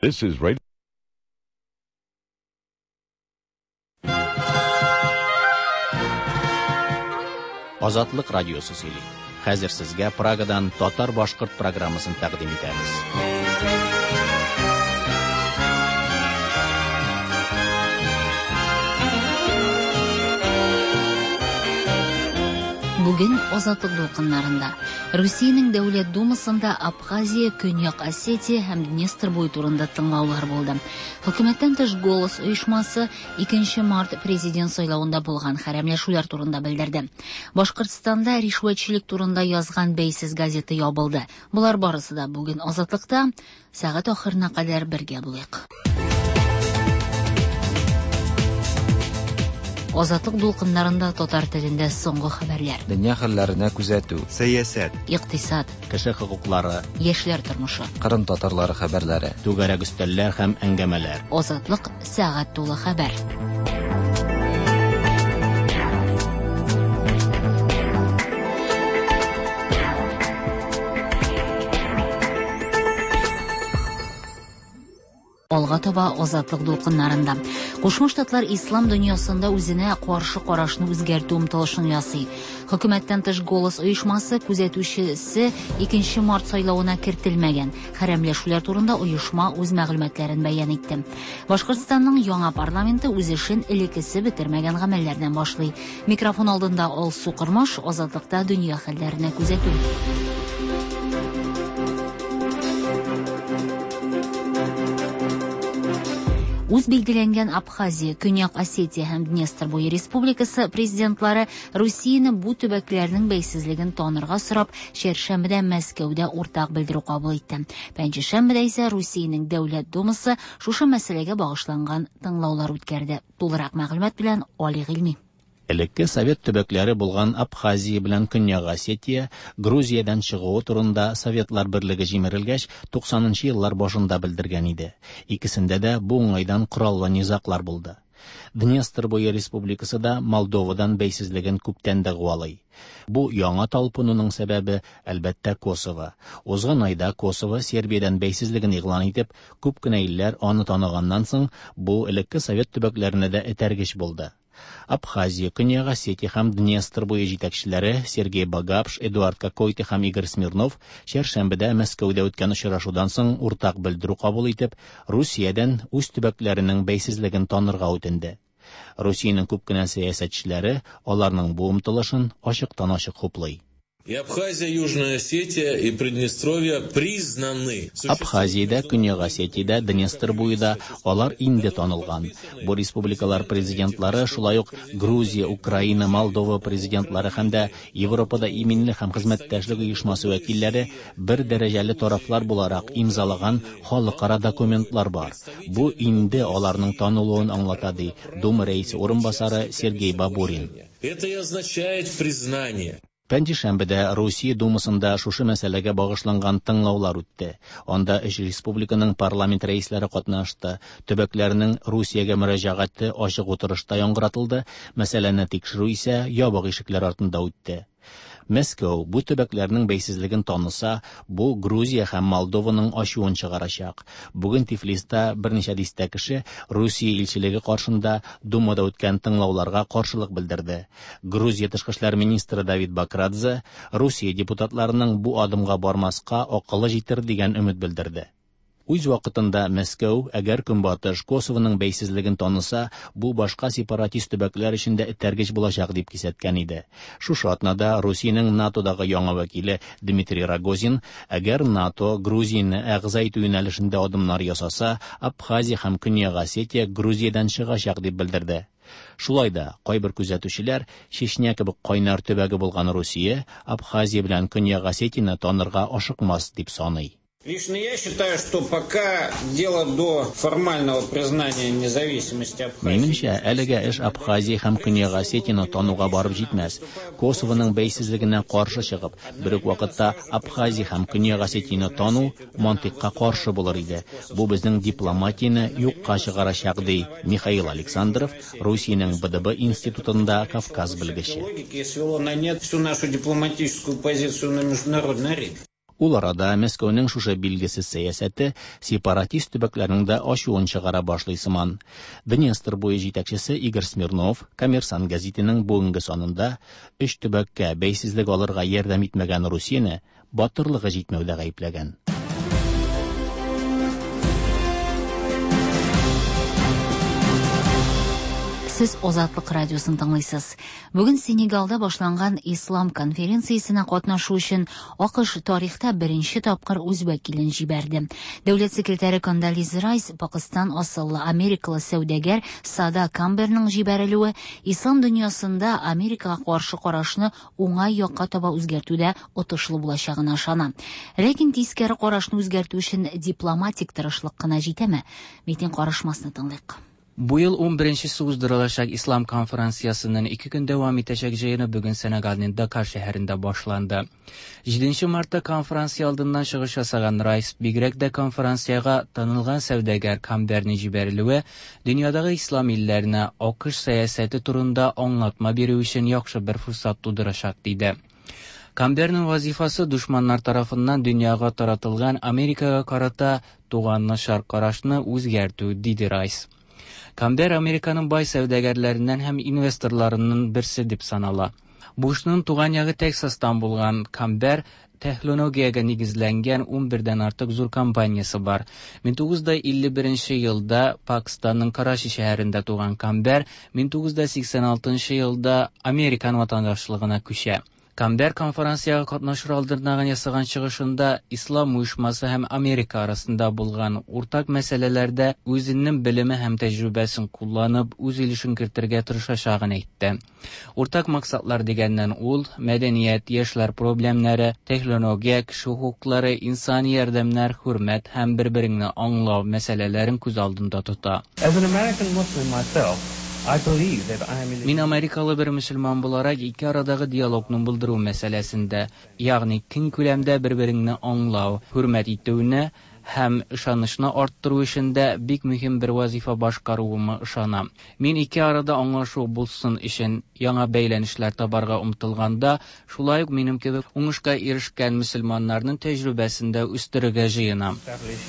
This is Radio. Азатлык радиосы сөйли. Хәзер сезгә Прагадан татар-башкорт программасын тәкъдим итәбез. Бүген Азатлык дулкыннарында Русиянең Дәүләт Думасында Абхазия, Көньяк Осетия һәм Днестр буе турында тыңлаулар булды. Хөкүмәттән тыш Голос оешмасы 2 март президент сайлавында булган хәрәмләшүләр турында белдерде. Башкортстанда ришвәтчелек турында язган бәйсез газета ябылды. Болар барысы да бүген Азатлыкта. Сәгать ахырына кадәр бергә булыйк. Азатлык дулкыннарында татар телендә соңгы хәбәрләр. Дөнья хәлләренә күзәтү. Сәясәт. Икътисад. Кеше хокуклары. Яшьләр тормышы. Кырым татарлары хәбәрләре. Түгәрәк өстәлләр һәм әңгәмәләр. Азатлык сәгать тулы хәбәр. Алга таба Азатлык дулкыннарында. Кушма Штатлар ислам дөньясында үзенә каршы карашны үзгәртү омтылышын ясый. Хөкүмәттән тыш Голос оешмасы күзәтүчесе 2 март сайлавына кертелмәгән. Хәрәмләшүләр турында оешма үз мәгълүматларын бәян итте. Башкортстанның яңа парламенты үз эшен элеккесе бетермәгән гамәлләрдән башлый. Микрофон алдында Алсу Кормаш, Азатлыкта дөнья хәлләренә күзәтү. Үз билгеләнгән Абхазия, Көньяк Осетия һәм Днестр буе республикасы президентлары Русияне бу төбәкләрнең бәйсезлеген танырга сорап, чәршәмбедә Мәскәүдә уртак белдерү кабул итте. Пәнҗешәмбедә исә Русиянең Дәүләт Думасы шушы мәсьәләгә багышланган тыңлаулар үткәрде. Тулырак мәгълүмат белән Али Гыйльми. Элекке совет төбәкләре булган Абхазия белән Көньяк Осетия Грузиядән чыгуы турында Советлар берлеге җимерелгәч 90 еллар башында белдергән иде. Икесендә дә бу уңайдан кораллы низаглар булды. Днестр буе республикасы да Молдовадан бәйсезлеген күптән дәгъвалый. Бу яңа талпынуның сәбәбе, әлбәттә, Косово. Узган айда Косово Сербиядән бәйсезлеген игълан итеп, күп кенә илләр аны таныганнан соң, бу элекке совет төбәкләренә дә этәргеч булды. Абхазия, Көньяк Осетия һәм Днестр буе җитәкчеләре Сергей Багапш, Эдуард Кокойты һәм Игорь Смирнов чәршәмбедә Мәскәүдә үткән очрашудан соң уртак белдерү кабул итеп, Русиядән үз төбәкләренең бәйсезлеген танырга үтенде. Русиянең күп кенә сәясәтчеләре аларның бу омтылышын ачыктан-ачык хуплый. И Абхазия, Южная Осетия и Приднестровье признаны. Абхазиядә, Көньяк Осетиядә, Днестр буенда алар инде танылган. Бу республикалар президентлары шулай ук Грузия, Украина, Молдова президентлары һәм дә Европада иминлек һәм хезмәттәшлек оешмасы вәкилләре бер дәрәҗәле тарафлар буларак имзалаган халыкара документлар бар. Бу инде аларның танылуын аңлата, ди Дума рәисе урынбасары Сергей Бабурин. Это и означает признание. Пәнҗешәмбедә Русия Думасында шушы мәсьәләгә багышланган тыңлаулар үтте. Анда өч республиканың парламент рәисләре катнашты. Төбәкләрнең Русиягә мөрәҗәгате ачык утырышта яңгыратылды, мәсьәләне тикшерү исә ябык ишекләр артында үтте. Мәскәү бу төбәкләрнең бәйсезлеген таныса, бу Грузия һәм Молдованың ачуын чыгарачак. Бүген Тифлиста берничә дистә кеше Русия илчелеге каршында Думада үткән тыңлауларга каршылык белдерде. Грузия тышкы эшләр министры Давид Бакрадзе Русия депутатларының бу адымга бармаска акылы җитер дигән өмет белдерде. Үз вакытында Мәскәү, әгәр Көнбатыш Косовоның бәйсезлеген таныса, бу башка сепаратист төбәкләр өчен дә этәргеч булачак дип кисәткән иде. Шушы атнада Русиянең НАТОдагы яңа вәкиле Дмитрий Рогозин, әгәр НАТО Грузияне әгъза итү юнәлешендә адымнар ясаса, Абхазия һәм Көньяк Осетия Грузиядән чыгачак дип белдерде. Шулай да кайбер күзәтүчеләр Чечня кебек кайнар төбәге булган Русия Абхазия белән Көньяк Осетияне танырга ашыкмас дип саный. Лично я считаю, что пока дело до формального признания независимости Абхазии. Минемчә, әлегә эш Абхазия һәм Көньяк Осетияне тануга барып җитмәс. Косовоның бәйсезлегенә каршы чыгып, бер үк вакытта Абхазия һәм Көньяк Осетияне тану мантыйкка каршы булыр иде. Бу безнең дипломатияне юкка чыгарачак, ди Михаил Александров, Русиянең БДБ институтында Кавказ белгече. Логики свело на нет всю нашу дипломатическую позицию на международной арене. Ул арада Мәскәүнең шушы билгесез сәясәте сепаратист төбәкләрнең дә ачуын чыгара башлый сыман. Днестр буе җитәкчесе Игорь Смирнов Коммерсант гәзитенең бүгенге санында өч төбәккә бәйсезлек алырга ярдәм итмәгән Русияне батырлыгы җитмәүдә гаепләгән. Сез Азатлык радиосын тыңлыйсыз. Бүген Сенегалда башланган Ислам конференциясенә катнашу өчен АКШ тарихта беренче тапкыр үз вәкилен җибәрде. Дәүләт секретаре Кондолиза Райс Пакыстан асыллы америкалы сәүдәгәр Сада Камберның җибәрелүе ислам дөньясында Америкага каршы карашны уңай якка таба үзгәртүдә отышлы булачагына ышана. Ләкин тискәре карашны үзгәртү өчен дипломатик тырышлык кына җитәме? Митинг карышмасны тыңлыйк. Бу ел 11-нчесе уздырылачак Ислам конференциясенең 2 көн дәвам итәчәк җыены бүген Сенегалның Дакар шәһәрендә башланды. 7 мартта конференция алдыннан чыгыш ясаган Райс бигрәк дә конференциягә танылган сәүдәгәр Камберның җибәрелүе дөньядагы ислам илләренә АКШ сәясәте турында аңлатма бирү өчен яхшы бер форсат тудырачак диде. Камберның вазифасы дошманнар тарафыннан дөньяга таратылган Америкага карата туган начар карашны үзгәртү, диде Райс. Камбер Американың бай сәүдәгәрләреннән һәм инвесторларының берсе дип санала. Бушның туган ягы Тексастан булган Камбер технологиягә нигезләнгән 11дән артык зур компаниясе бар. 1951 елда Пакистанның Карачи шәһәрендә туган Камбер 1986 елда Американ ватандашлыгына күчә. Камбер конференциягә катнашыр алдыннан ясаган чыгышында Ислам оешмасы һәм Америка арасында булган уртак мәсьәләләрдә үзенең белеме һәм тәҗрибәсен кулланып, үз өлешен кертергә тырышачагын әйтте. Уртак максатлар дигәннән ул мәдәният, яшьләр проблемнары, технология, кеше хокуклары, инсани ярдәмнәр, хөрмәт һәм бер-береңне аңлау мәсьәләләрен күз алдында тота. As an American Muslim myself, I believe that I am in Мин америкалы бер мөселман буларак ике арадагы диалогны булдыру мәсьәләсендә, ягъни киң күләмдә бер-береңне аңлау, хөрмәт итүне һәм ышанычны арттыру эшендә бик мөһим бер вазифа башкаруыма ышанам. Мин ике арада аңлашу булсын өчен яңа бәйләнешләр табарга омтылганда, шулай ук минем кебек уңышка ирешкән мөселманнарның тәҗрибәсен дә үстерергә җыенам. establish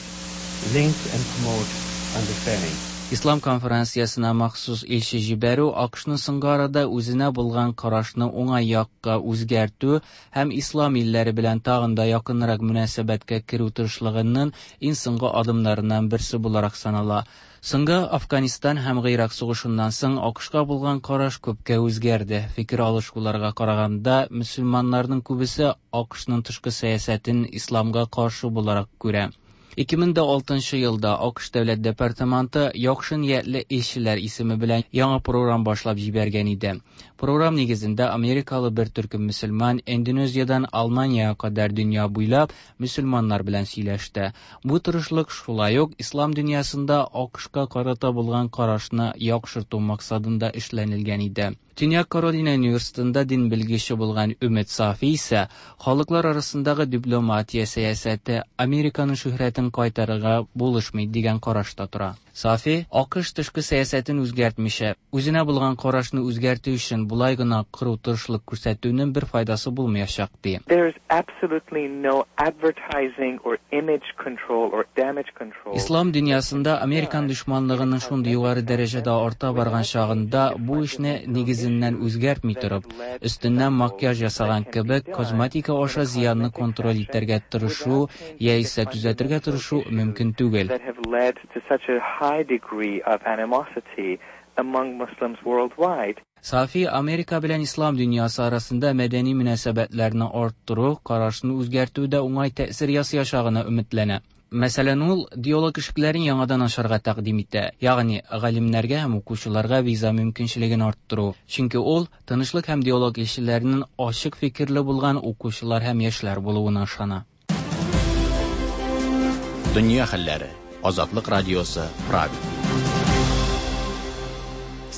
links and promote understanding. Ислам конференциясенә махсус илче җибәрү АКШның соңгы арада үзенә булган карашны уңай якка үзгәртү һәм ислам илләре белән тагын да якынрак мөнәсәбәткә керү тырышлыгының иң соңгы адымнарыннан берсе буларак санала. Соңгы Афганистан һәм Гыйрак сугышыннан соң АКШка булган караш күпкә үзгәрде. Фикер алышуларга караганда, мөселманнарның күбесе АКШның тышкы сәясәтен исламга каршы буларак күрә. 2006 елда АКШ Дәүләт департаменты яхшы ниятле илчеләр исеме белән яңа програм башлап җибәргән иде. Програм нигезендә америкалы бер төркем мөселман Индонезиядән Алманиягә кадәр дөнья буйлап мөселманнар белән сөйләште. Бу тырышлык шулай ук ислам дөньясында АКШка карата булган карашны яхшырту максатында эшләнелгән иде. Төньяк Каролина университетында дин белгече булган Өмет Сафи исә халыклар арасындагы дипломатия сәясәте Американың шөһрәтен кайтарырга булышмый дигән карашта тора. Сафи АКШ тышкы сәясәтен үзгәртмичә, үзенә булган карашны үзгәртү өчен болай гына кыру тырышлык күрсәтүнең бер файдасы булмаячак ди. There is absolutely no advertising or image control or damage control. Ислам дөньясында американ дошманлыгының шундый югары дәрәҗәдә арта барган чагында бу эшне нигезеннән үзгәртми торып, өстеннән макияж ясаган кебек косметика аша зыянны контроль итәргә тырышу яисә төзәтергә тырышу мөмкин түгел. That have led to such a high degree of animosity among Muslims worldwide. Сафи Америка белән ислам дөньясы арасында мәдәни мөнәсәбәтләрне арттыру, карашны үзгәртүдә уңай тәэсир ясаячагына өметләнә. Мәсәлән, ул диалог ишекләрен яңадан ачарга тәкъдим итә, ягъни галимнәргә һәм укучыларга виза мөмкинчелеген арттыру. Чөнки ул тынычлык һәм диалог илчеләренең ачык фикерле булган укучылар һәм яшьләр булуына ышана. Дөнья хәлләре. Азатлык радиосы, Прага.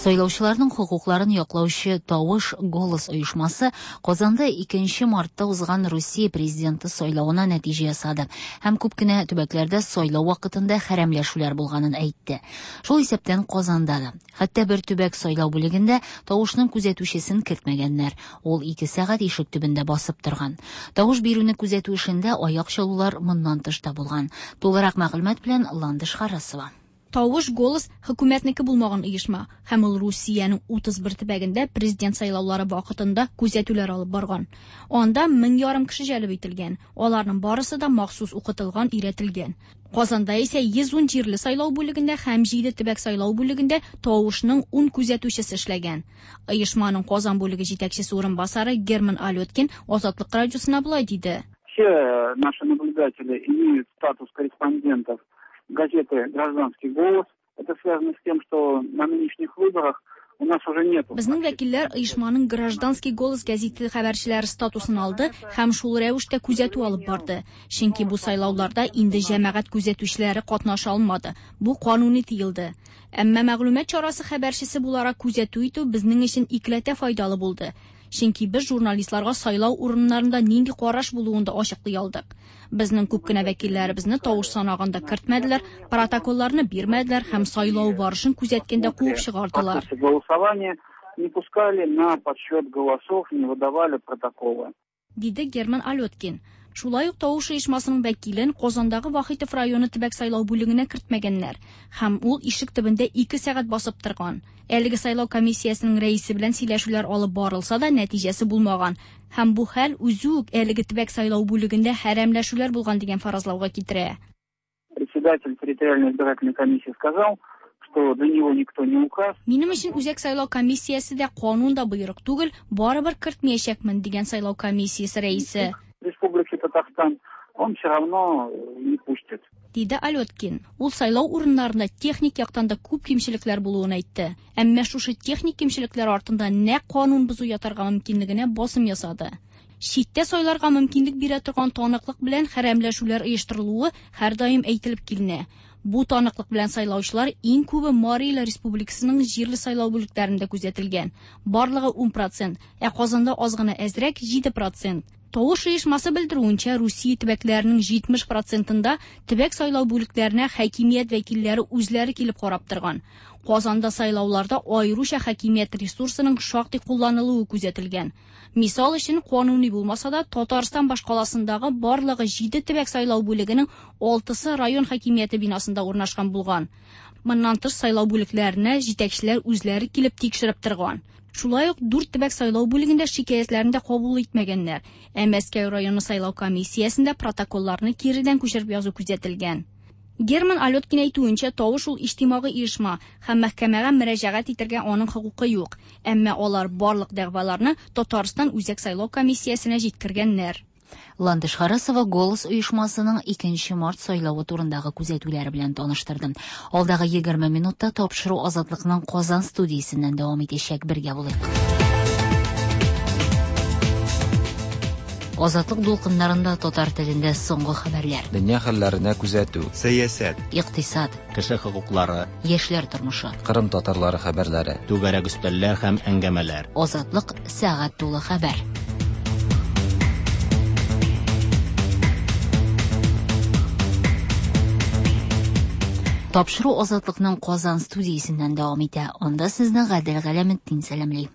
Сайлаучыларның хокукларын яклаучы Тавыш Голос оешмасы Казанда 2 мартта узган Русия президенты сайлавына нәтиҗә ясады һәм күп кенә төбәкләрдә сайлау вакытында хәрәмләшүләр булганын әйтте. Шул исәптән Казанда да. Хәтта бер төбәк сайлау бүлегендә тавышның күзәтүчесен кертмәгәннәр. Ул 2 сәгать ишек төбендә басып торган. Тавыш бирүне күзәтү эшендә аяк чалулар моннан тыш та булган. Тулырак мәгълүмат белән Ландыш Харасова. Тавыш Голос хөкүмәтнеке булмаган оешма һәм ул Русиянең 31 төбәгендә президент сайлаулары вакытында күзәтүләр алып барган. Анда 1500 кеше җәлеп ителгән. Аларның барысы да махсус укытылган, өйрәтелгән. Казанда исә 110 җирле сайлау бүлегендә һәм 7 төбәк сайлау бүлегендә тавышның 10 күзәтүчесе эшләгән. Оешманың Казан бүлеге җитәкчесе урынбасары Герман Алёткин Азатлык радиосына болай диде. Все наши наблюдатели имеют статус корреспондентов газеты «Гражданский голос». Это связано с тем, что на нынешних выборах у нас уже нет. Безнең вәкилләр оешманың «Гражданский голос» гәзите хәбәрчеләре статусын алды һәм шул рәвештә күзәтү алып барды. Чөнки бу сайлауларда инде җәмәгать күзәтүчеләре катнаша алмады. Бу кануни тыелды. Әмма мәгълүмат чарасы хәбәрчесе буларак күзәтү итү безнең өчен икеләтә файдалы булды. Чөнки без журналистларга сайлау урыннарында нинди караш булуын да ачыклый алдык. Безнең күп кенә вәкилләребезне тавыш санаганда кертмәделәр, протоколларны бирмәделәр һәм сайлау барышын күзәткәндә куып чыгардылар. Голосование не пускали на подсчет голосов, не выдавали протоколы. Диде Герман Алёткин. Шулай ук тавыш оешмасының вәкилен Казандагы Вахитов районы төбәк сайлау бүлегенә кертмәгәннәр һәм ул ишек төбендә 2 сәгать басып торган. Әлеге сайлау комиссиясенең рәисе белән сөйләшүләр алып барылса да нәтиҗәсе булмаган. Һәм бу хәл үзе үк әлеге төбәк сайлау бүлегендә хәрәмләшүләр булган дигән фаразлауга китерә. Председатель территориальной избирательной комиссии сказал, что для него никто не указ. Минем өчен үзәк сайлау комиссиясе дә канун да боерык түгел, барыбер кертмәячәкмен дигән сайлау комиссиясе рәисе. Республики Татарстан, он все равно не пустит. Диде Алёткин. Ул сайлау урыннарында техник яктан да күп кимчелекләр булуын әйтте. Әмма шушы техник кимчелекләр артында нәкъ канун бозу ятарга мөмкинлегенә басым ясады. Читтә сайларга мөмкинлек бирә торган таныклык белән хәрәмләшүләр оештырылуы һәрдаим әйтелеп киленә. Бу таныклык белән сайлаучылар иң күбе Марий Эл Республикасының җирле сайлау бүлекләрендә күзәтелгән. Барлыгы 10%, ә Казанда аз гына әзрәк 7%. Тавыш оешмасы белдерүенчә, Русия төбәкләренең 70%-ында төбәк сайлау бүлекләренә хакимият вәкилләре үзләре килеп карап торган. Казанда сайлауларда аеруча хакимият ресурсының шактый кулланылуы күзәтелгән. Мисал өчен, кануни булмаса да, Татарстан башкаласындагы барлыгы 7 төбәк сайлау бүлегенең 6-сы район хакимияте бинасында урнашкан булган. Моннан тыш сайлау бүлекләренә җитәкчеләр үзләре килеп тикшереп торган. Шулай ук 4 төбәк сайлау бүлегендә шикаятьләрне дә кабул итмәгәннәр. Ә Мәскәү районы сайлау комиссиясендә протоколларны киредән күчереп язу күзәтелгән. Герман Алёткин әйтүенчә, тавыш ул иҗтимагый оешма һәм мәхкәмәгә мөрәҗәгать итәргә аның хокукы юк. Әмма алар барлык дәгъваларны Татарстан Үзәк сайлау комиссиясенә җиткергәннәр. Ландыш Харасова Голос оешмасының 2 март сайлавы турындагы күзәтүләре белән таныштырды. Алдагы 20 минутта тапшыру Азатлыкның Казан студиясеннән дәвам итәчәк. Бергә булыйк. Азатлык дулкыннарында татар телендә соңгы хәбәрләр. Дөнья хәлләренә күзәтү. Сәясәт, Икътисад, Кеше хокуклары, яшьләр тормышы. Кырым татарлары хәбәрләре. Түгәрәк өстәлләр һәм әңгәмәләр. Азатлык сәгать тулы хәбәр. Тапшыру Азатлыкның Казан студиясеннән дәвам итә. Анда сезне Гадел Галәметдин сәламли.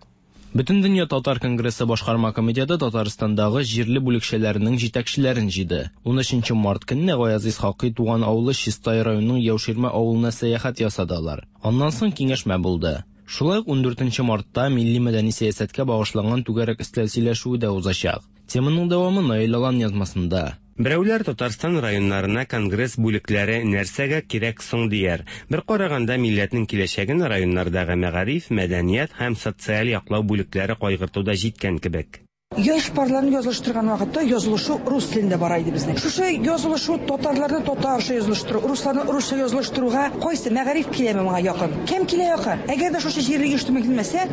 Бөтендөнья татар конгрессы башкарма комитеты Татарстандагы җирле бүлекчәләренең җитәкчеләрен җыйды. 13 март көнне Гаяз Исхакый туган авылы Чистай районының Яуширмә авылына сәяхәт ясады алар. Аннан соң киңәшмә булды. Шулай ук 14 мартта милли мәдәни сәясәткә багышланган түгәрәк өстәл сөйләшүе дә узачак. Теманың дәвамы Наил Алан язмасында. Берәүләр Татарстан районнарына конгресс бүлекләре нәрсәгә кирәк соң дияр. Бер караганда милләтнең киләчәген районнардагы мәгариф, мәдәният һәм социаль яклау бүлекләре кайгыртуда җиткән кебек. Яшь парларны язылыштырган вакытта язылышу рус телендә бара иде безнең. Шушы язылышу татарларны татарча язылыштыру, русларны русча язылыштыруга кайсы мәгариф киләме моңа якын? Кем килә якын? Әгәр дә шушы җирле оештырма килмәсә,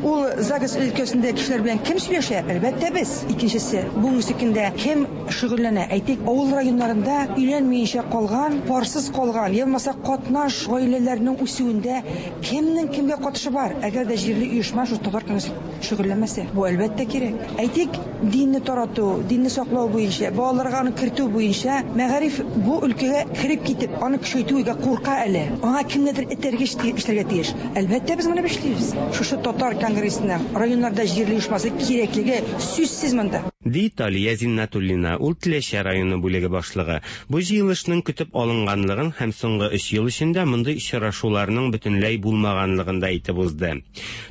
ул ЗАГС өлкәсендә кешеләр белән кем сөйләшә? Әлбәттә, без. Икенчесе, бүгенге көндә кем шөгыльләнә? Әйтик, авыл районнарында өйләнмиенчә калган, парсыз калган, я булмаса катнаш гаиләләрнең үсүендә кемнең кемгә катышы бар? Әгәр дә җирле оешма шул татар конгрессы шөгыльләнмәсә, бу әлбәттә кирәк. Әйтик, динне тарату, динне саклау буенча, балаларга аны кертү буенча мәгариф бу өлкәгә кереп китеп, аны көчәйтүгә курка әле. Аңа кемнедер этәргеч эшләргә тиеш. Әлбәттә, без моны эшлибез. Шушы татар конгрессының районнарда җирле оешмасы кирәклеге сүзсез монда. Ди Талия Зиннәтуллина, ул Теләче районы бүлеге башлыгы. Бу җыелышның көтеп алынганлыгын һәм соңгы өч ел эчендә мондый очрашуларның бөтенләй булмаганлыгын да әйтеп узды.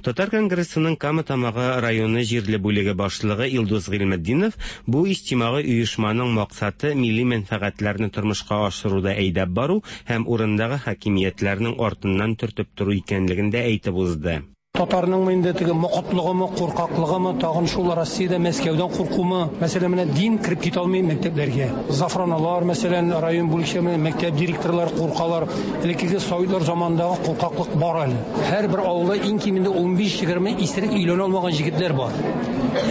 Татар конгрессының Кама Тамагы районы җирле бүлеге башлыгы Илдус Гыйльметдинов бу иҗтимагый оешманың максаты милли мәнфәгатьләрне тормышка ашыруда әйдәп бару һәм урындагы хакимиятләрнең артыннан төртеп тору икәнлеген дә әйтеп узды. Татарның инде теге мокытлыгымы, куркаклыгымы, тагын шул Россиядә Мәскәүдән куркумы? Мәсәлән, менә дин кереп китә алмый мәктәпләргә. Зафраналар, мәсәлән, район бүлекчә мәктәп директорлары куркалар. Элеккеге советлар заманындагы куркаклык бар әле. Һәрбер авылда иң кимендә 15-20 исерек өйләнә алмаган җегетләр бар.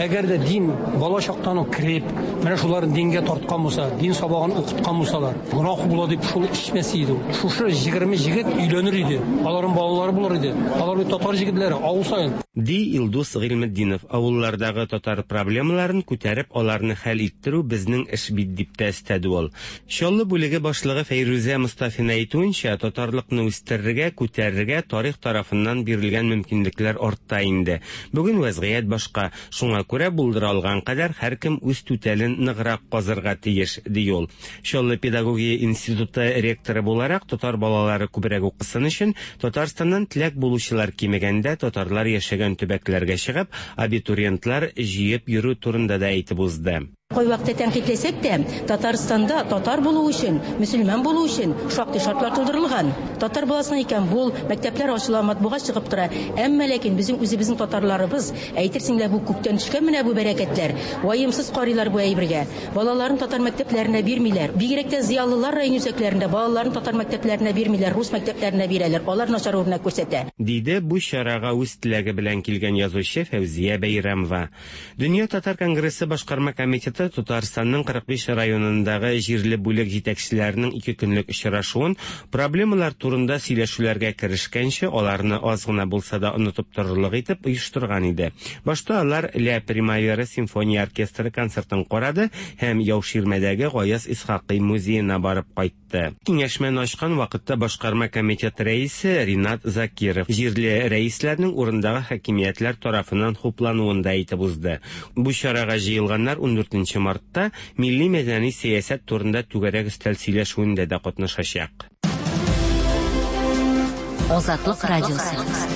Әгәр дә дин бала чактан ук кереп, менә шуларны дингә тарткан булса, дин сабагын укыткан булсалар, гөнаһ була дип шул эчмәс иде ул. Шушы 20 җегет өйләнер иде. Аларның балалары булыр иде. Алар бит татар җегетләре, авыл саен. Ди Илдус Гыйльметдинов. Авыллардагы татар проблемаларын күтәреп, аларны хәл иттерү безнең эш бит, дип тә өстәде ул. Чаллы бүлеге башлыгы Фәйрүзә Мостафина әйтүенчә, татарлыкны үстерергә, күтәрергә тарих тарафыннан бирелгән мөмкинлекләр артта инде. Бүген вәзгыять башка. Шуңа күрә булдыра алган кадәр һәркем үз түтәлен ныграк казырга тиеш, ди ул. Чаллы педагогия институты ректоры буларак, татар балалары күбрәк укысын өчен, Татарстаннан теләк булучылар кимегәндә татарлар яшәгән төбәкләргә чыгып, абитуриентлар җыеп йөрү турында да әйтеп узды. Кайвакытта тәнкыйтьләсәк тә, Татарстанда татар булу өчен, мөселман булу өчен шактый шартлар тудырылган. Татар баласына икән бул, мәктәпләр ачыла, матбугат чыгып тора. Әмма ләкин безнең үзебезнең татарларыбыз, әйтерсең лә бу күктән төшкән менә бу бәрәкәтләр, ваемсыз карыйлар бу әйбергә. Балаларын татар мәктәпләренә бирмиләр. Бигрәк тә зыялылар район үзәкләрендә балаларын татар мәктәпләренә бирмиләр, рус мәктәпләренә бирәләр. Алар начар үрнәк күрсәтә. Диде бу чарага үз теләге белән килгән язучы Фәүзия Бәйрәмова. Дөнья татар конгрессы башкарма комитеты Татарстанның 45 районындагы җирле бүлек җитәкчеләренең ике көнлек очрашуын проблемалар турында сөйләшүләргә керешкәнче аларны аз гына булса да онытып торырлык итеп оештырган иде. Башта алар Ля Примавера симфония оркестры концертын карады һәм Яуширмәдәге Гаяз Исхакый музеена барып кайтты. Киңәшмәне ачкан вакытта башкарма комитет рәисе Ринат Закиров җирле рәисләрнең урындагы хакимиятләр тарафыннан хуплануын да әйтеп узды. Бу чарага җыелганнар 14 мартта милли мәдәни сәясәт турында түгәрәк өстәл сөйләшүендә дә катнашачак. Азатлык радиосы.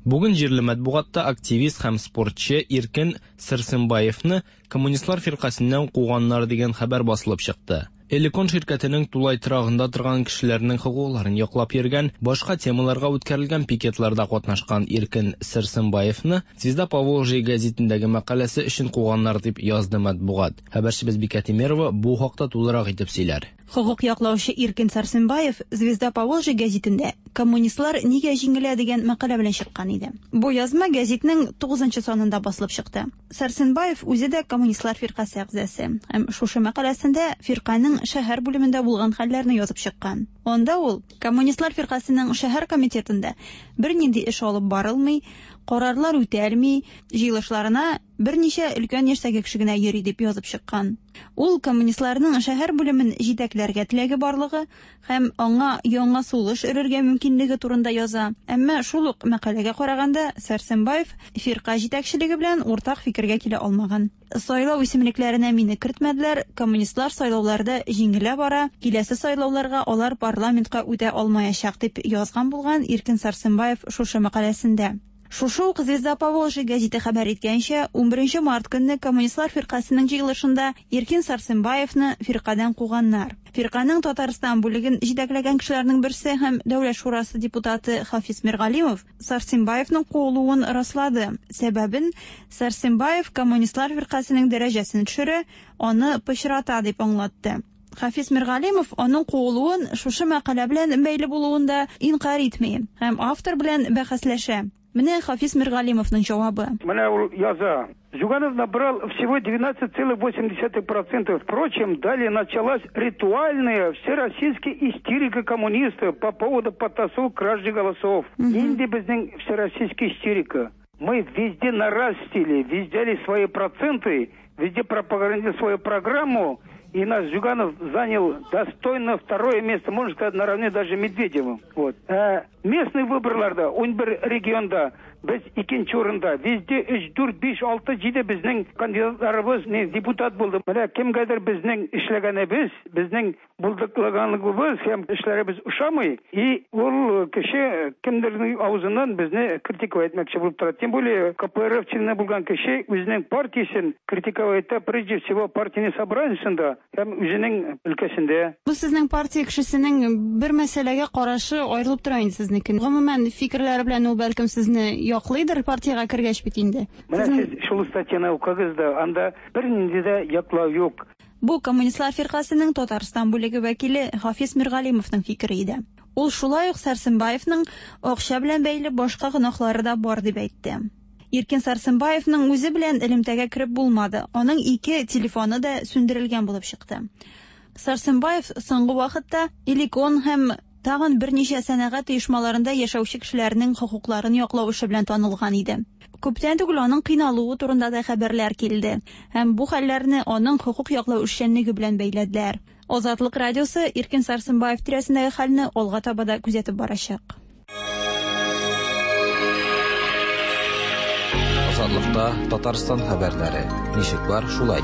Бүген җирле матбугатта активист һәм спортчы Иркен Сәрсенбаевны коммунистлар фиркасеннән куганнар дигән хәбәр басылып чыкты. Элекон ширкәтенең тулай торагында торган кешеләрнең хокукларын яклап йөргән, башка темаларга үткәрелгән пикетларда катнашкан Иркен Сәрсенбаевны Звезда Поволжья гәзитендәге мәкаләсе өчен куганнар дип язды матбугат. Хәбәрчебез Бикә Тимерова бу хакта тулырак итеп сөйләр. Хокук яклаучы Иркен Сәрсенбаев Звезда Поволжья гәзитендә Коммунистлар нигә җиңелә дигән мәкалә белән чыккан иде. Бу язма гәзитнең 9 санында басылып чыкты. Сәрсенбаев үзе дә коммунистлар фиркасе әгъзасы. Һәм шушы мәкаләсендә фирканең шәһәр бүлемендә булган хәлләрне язып чыккан. Анда ул коммунистлар фиркасының шәһәр комитетында бернинди эш алып барылмый, карарлар үтәлми, җыелышларына берничә өлкән яшьтәге кеше генә йөри дип язып чыккан. Ул коммунистларның шәһәр бүлемен җитәкләргә теләге барлыгы һәм аңа яңа сулыш өрергә мөмкинлеге турында яза. Әмма шул ук мәкаләгә караганда Сәрсенбаев фирка җитәкчелеге белән уртак фикергә килә алмаган. Сайлау исемлекләренә мине кертмәделәр, коммунистлар сайлауларда җиңелә бара, киләсе сайлауларга алар парламентка үтә алмаячак дип язган булган Иркен Сәрсенбаев шушы мәкаләсендә. Шушы ук Звезда Поволжья гәзите хәбәр иткәнчә, 11 март көнне Коммунистлар фиркасенең җыелышында Иркин Сарсенбаевны фиркадән куганнар. Фирканең Татарстан бүлеген җитәкләгән кешеләрнең берсе һәм Дәүләт шурасы депутаты Хафиз Миргалимов Сарсенбаевның куылуын раслады. Сәбәбен Сарсенбаев Коммунистлар фиркасенең дәрәҗәсен төшерә, аны пычрата дип аңлатты. Хафиз Миргалимов аның куылуын шушы мәкалә белән бәйле булуын да инкарь итми һәм автор белән бәхәсләшә. Менә Хафиз Миргалимовның җавабы. Менә ул яза. Зюганов набрал всего 12,8%. Впрочем, далее началась ритуальная всероссийская истерика коммунистов по поводу подтасовок кражи голосов. Инде безнең всероссийская истерика. Мы везде нарастили, везде взяли свои проценты, везде пропагандировали свою программу, и наш Зюганов занял достойно второе место, можно сказать, наравне даже Медведевым. Вот. Ә местный выборларда, 11 регионда без икенче урында, везде 3, 4, 5, 6, 7 безнең кандидатларыбыз не депутат булды. Менә кемгәдер безнең эшләгәнебез, безнең булдыклыганлыгыбыз һәм эшләребез ошамый, и ул кеше кемдернең авызыннан безне критиковать итмәкче булып тора. Тем более КПРФ члены булган кеше үзенең партиясен критиковать итә, прежде всего партийный собраниесында һәм үзенең өлкәсендә. Бу сезнең партия кешесенең бер мәсьәләгә карашы аерылып тора инде сезнеке. Гомумән, фикерләре белән ул бәлкем сезне яклыйдыр партиягә кергәч бит инде. Менә сез шул статьяны укыгыз да, анда бернинди дә яклау юк. Бу Коммунистлар фиркасенең Татарстан бүлеге вәкиле Хафиз Миргалимовның фикере иде. Ул шулай ук Сәрсенбаевның акча белән бәйле башка гөнаһлары да бар дип әйтте. Иркин Сарсенбаевның үзе белән элемтәгә кереп булмады. Аның ике телефоны да сүндерелгән булып чыкты. Сарсенбаев соңгы вакытта Эликон һәм тагын берничә сәнәгать оешмаларында яшәүче кешеләрнең хокукларын яклау эше белән танылган иде. Күптән түгел аның кыйналуы турында да хәбәрләр килде һәм бу хәлләрне аның хокук яклау эшчәнлеге белән бәйләделәр. Азатлык радиосы Иркин Сарсенбаев тирәсендәге хәлне алга таба да күзәтеп барачак. Азатлыкта Татарстан хәбәрләре. Ничек бар, шулай.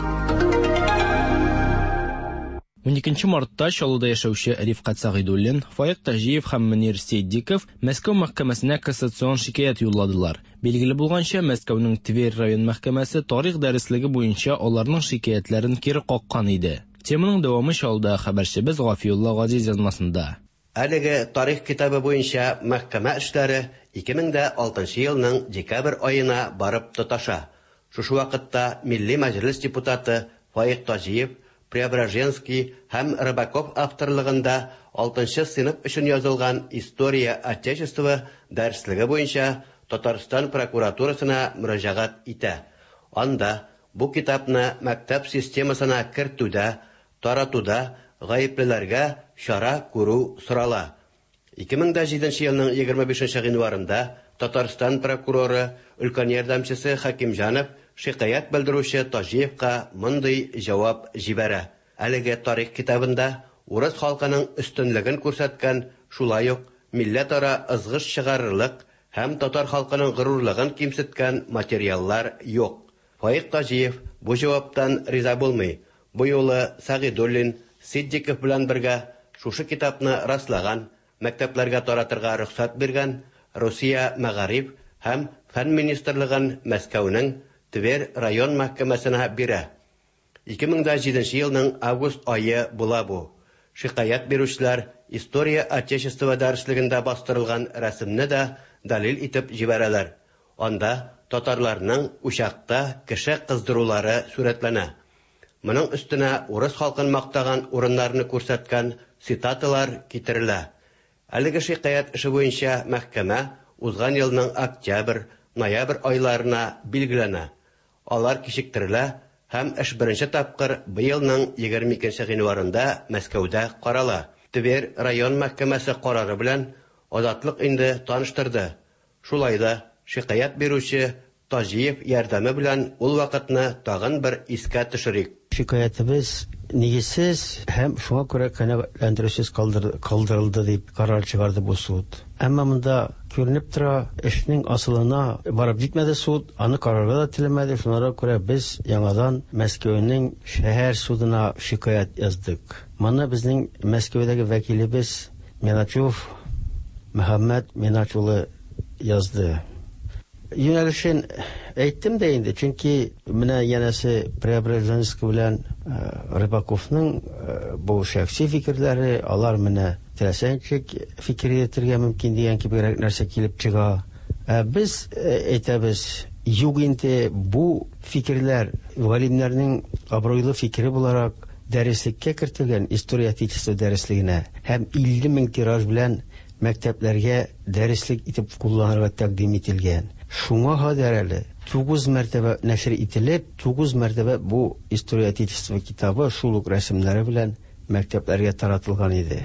12 мартта Чаллыда яшәүче Рифкать Сәгыйдуллин, Фаик Таҗиев һәм Мөнир Ситдиков Мәскәү мәхкәмәсенә кассацион шикаять юлладылар. Билгеле булганча, Мәскәүнең Тверь район мәхкәмәсе тарих дәреслеге буенча аларның шикаятьләрен кире каккан иде. Теманың дәвамы Чаллыда хәбәрчебез Гафиулла Газиз язмасында. Әлеге тарих китабы буенча мәхкәмә эшләре 2006 елның декабрь аена барып тоташа. Шушы вакытта Милли Мәҗлес депутаты Фаик Таҗиев, Преображенский һәм Рыбаков авторлыгында 6 сыйныф өчен язылган История Отечества дәреслеге буенча Татарстан прокуратурасына мөрәҗәгать итә. Анда бу китапны мәктәп системасына кертүдә, таратуда гаеплеләргә чара күрү сорала. 2007 елның 25 гыйнварында Татарстан прокуроры, өлкән ярдәмчесе Хәкимҗанов шикаять белдерүче Таҗиевка мондый җавап җибәрә. Әлеге тарих китабында урыс халкының өстенлеген күрсәткән, шулай ук милләтара ызгыш чыгарырлык һәм татар халкының горурлыгын кимсеткән материаллар юк. Фаик Таҗиев бу җаваптан риза булмый. Бу юлы Сәгыйдуллин, Ситдиков белән бергә шушы китапны раслаган, мәктәпләргә таратырга рөхсәт биргән Русия мәгариф һәм фән министрлыгын Мәскәүнең Тверь район мәхкәмәсенә бирә. 2007 елның август ае була бу. Шикаять бирүчеләр История Отечества дәреслегендә бастырылган рәсемне дә дәлил итеп җибәрәләр. Анда татарларның учакта кеше кыздырулары сурәтләнә. Моның өстенә урыс халкын мактаган урыннарны күрсәткән цитаталар китерелә. Әлеге шикаять эше буенча мәхкәмә узган елның октябрь, ноябрь айларына билгеләнә. Алар кичектерелә һәм эш беренче тапкыр быелның 22 гыйнварында Мәскәүдә карала. Тверь район мәхкәмәсе карары белән Азатлык инде таныштырды. Шулай да шикаять бирүче Таҗиев ярдәме белән ул вакытны тагын бер искә төшерик. Шикаятебез нигезсез һәм шуңа күрә канәгатьләндерүсез калдырылды дип карар чыгарды бу суд. Әмма монда күренеп тора, эшнең асылына барып җитмәде суд, аны карарга да теләмәде. Шуңа күрә без яңадан Мәскәүнең шәһәр судына шикаять яздык. Моны безнең Мәскәүдәге вәкилебез Миначев Мөхәммәд Минач улы язды. юнәлешен әйттем дә инде, чөнки менә янәсе Преображенский белән Рыбаковның бу шәхси фикерләре, алар менә теләсә ничек фикер йөртергә мөмкин дигән кебегрәк нәрсә килеп чыга. Ә без әйтәбез, юк инде, бу фикерләр галимнәрнең абруйлы фикере буларак дәреслеккә кертелгән, История Отечества дәреслегенә һәм 50 мең тираж белән мәктәпләргә дәреслек итеп кулланырга тәкъдим ителгән. Шуңа кадәр әле 9 мәртәбә нәшер ителеп, 9 мәртәбә бу История Отечества китабы шул ук рәсемнәре белән мәктәпләргә таратылган иде.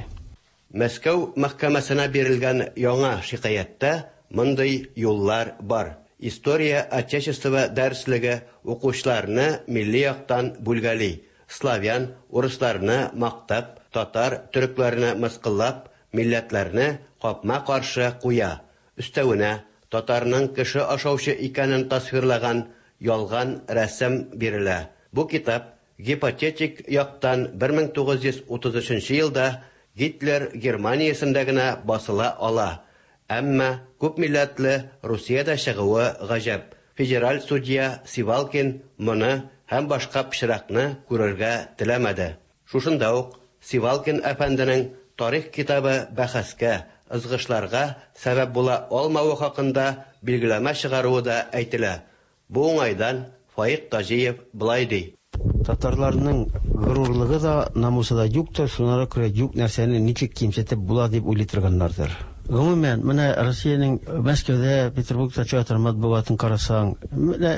Мәскәү мәхкәмәсенә бирелгән яңа шикаятьтә мондый юллар бар: История Отечества дәреслеге укучыларны милли яктан бүлгәли, славян, урысларны мактап, татар, төрекләрне мыскыллап, милләтләрне капма-каршы куя. Өстәвенә, татарның кеше ашаучы икәнен тасвирлаган ялган рәсем бирелә. Бу китап гипотетик яктан 1933 елда Гитлер Германиясендә генә басыла ала. Әмма күпмилләтле Русиядә чыгуы гаҗәп. Федераль судья Сивалкин моны һәм башка пычракны күрергә теләмәде. Шушында ук Сивалкин әфәнденең тарих китабы бәхәскә, ызгышларга сәбәп була алмавы хакында билгеләмә чыгаруы да әйтелә. Бу уңайдан Фаик Таҗиев болай ди. Татарларның горурлыгы да, намусы да юктыр, шуңа күрә юк нәрсәне ничек кимсетеп була дип уйлый торганнардыр. Гомумән, менә Россиянең Мәскәүдә, Петербургта чыга торган матбугатын карасаң, менә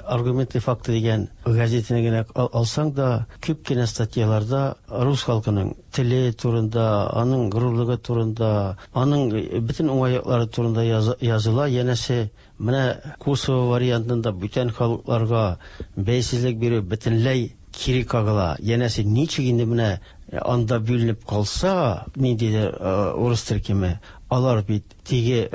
Аргументы и факты дигән газетаны генә алсаң да, күп кенә статьяларда рус халкының теле турында, аның горурлыгы турында, аның бөтен уңай яклары турында языла. Янәсе, менә Косово вариантында бүтән халыкларга бәйсезлек бирү бөтенләй кире кагыла. Янәсе, ничек инде менә анда бүленеп калса, ниндидер урыс төркеме, алар бит теге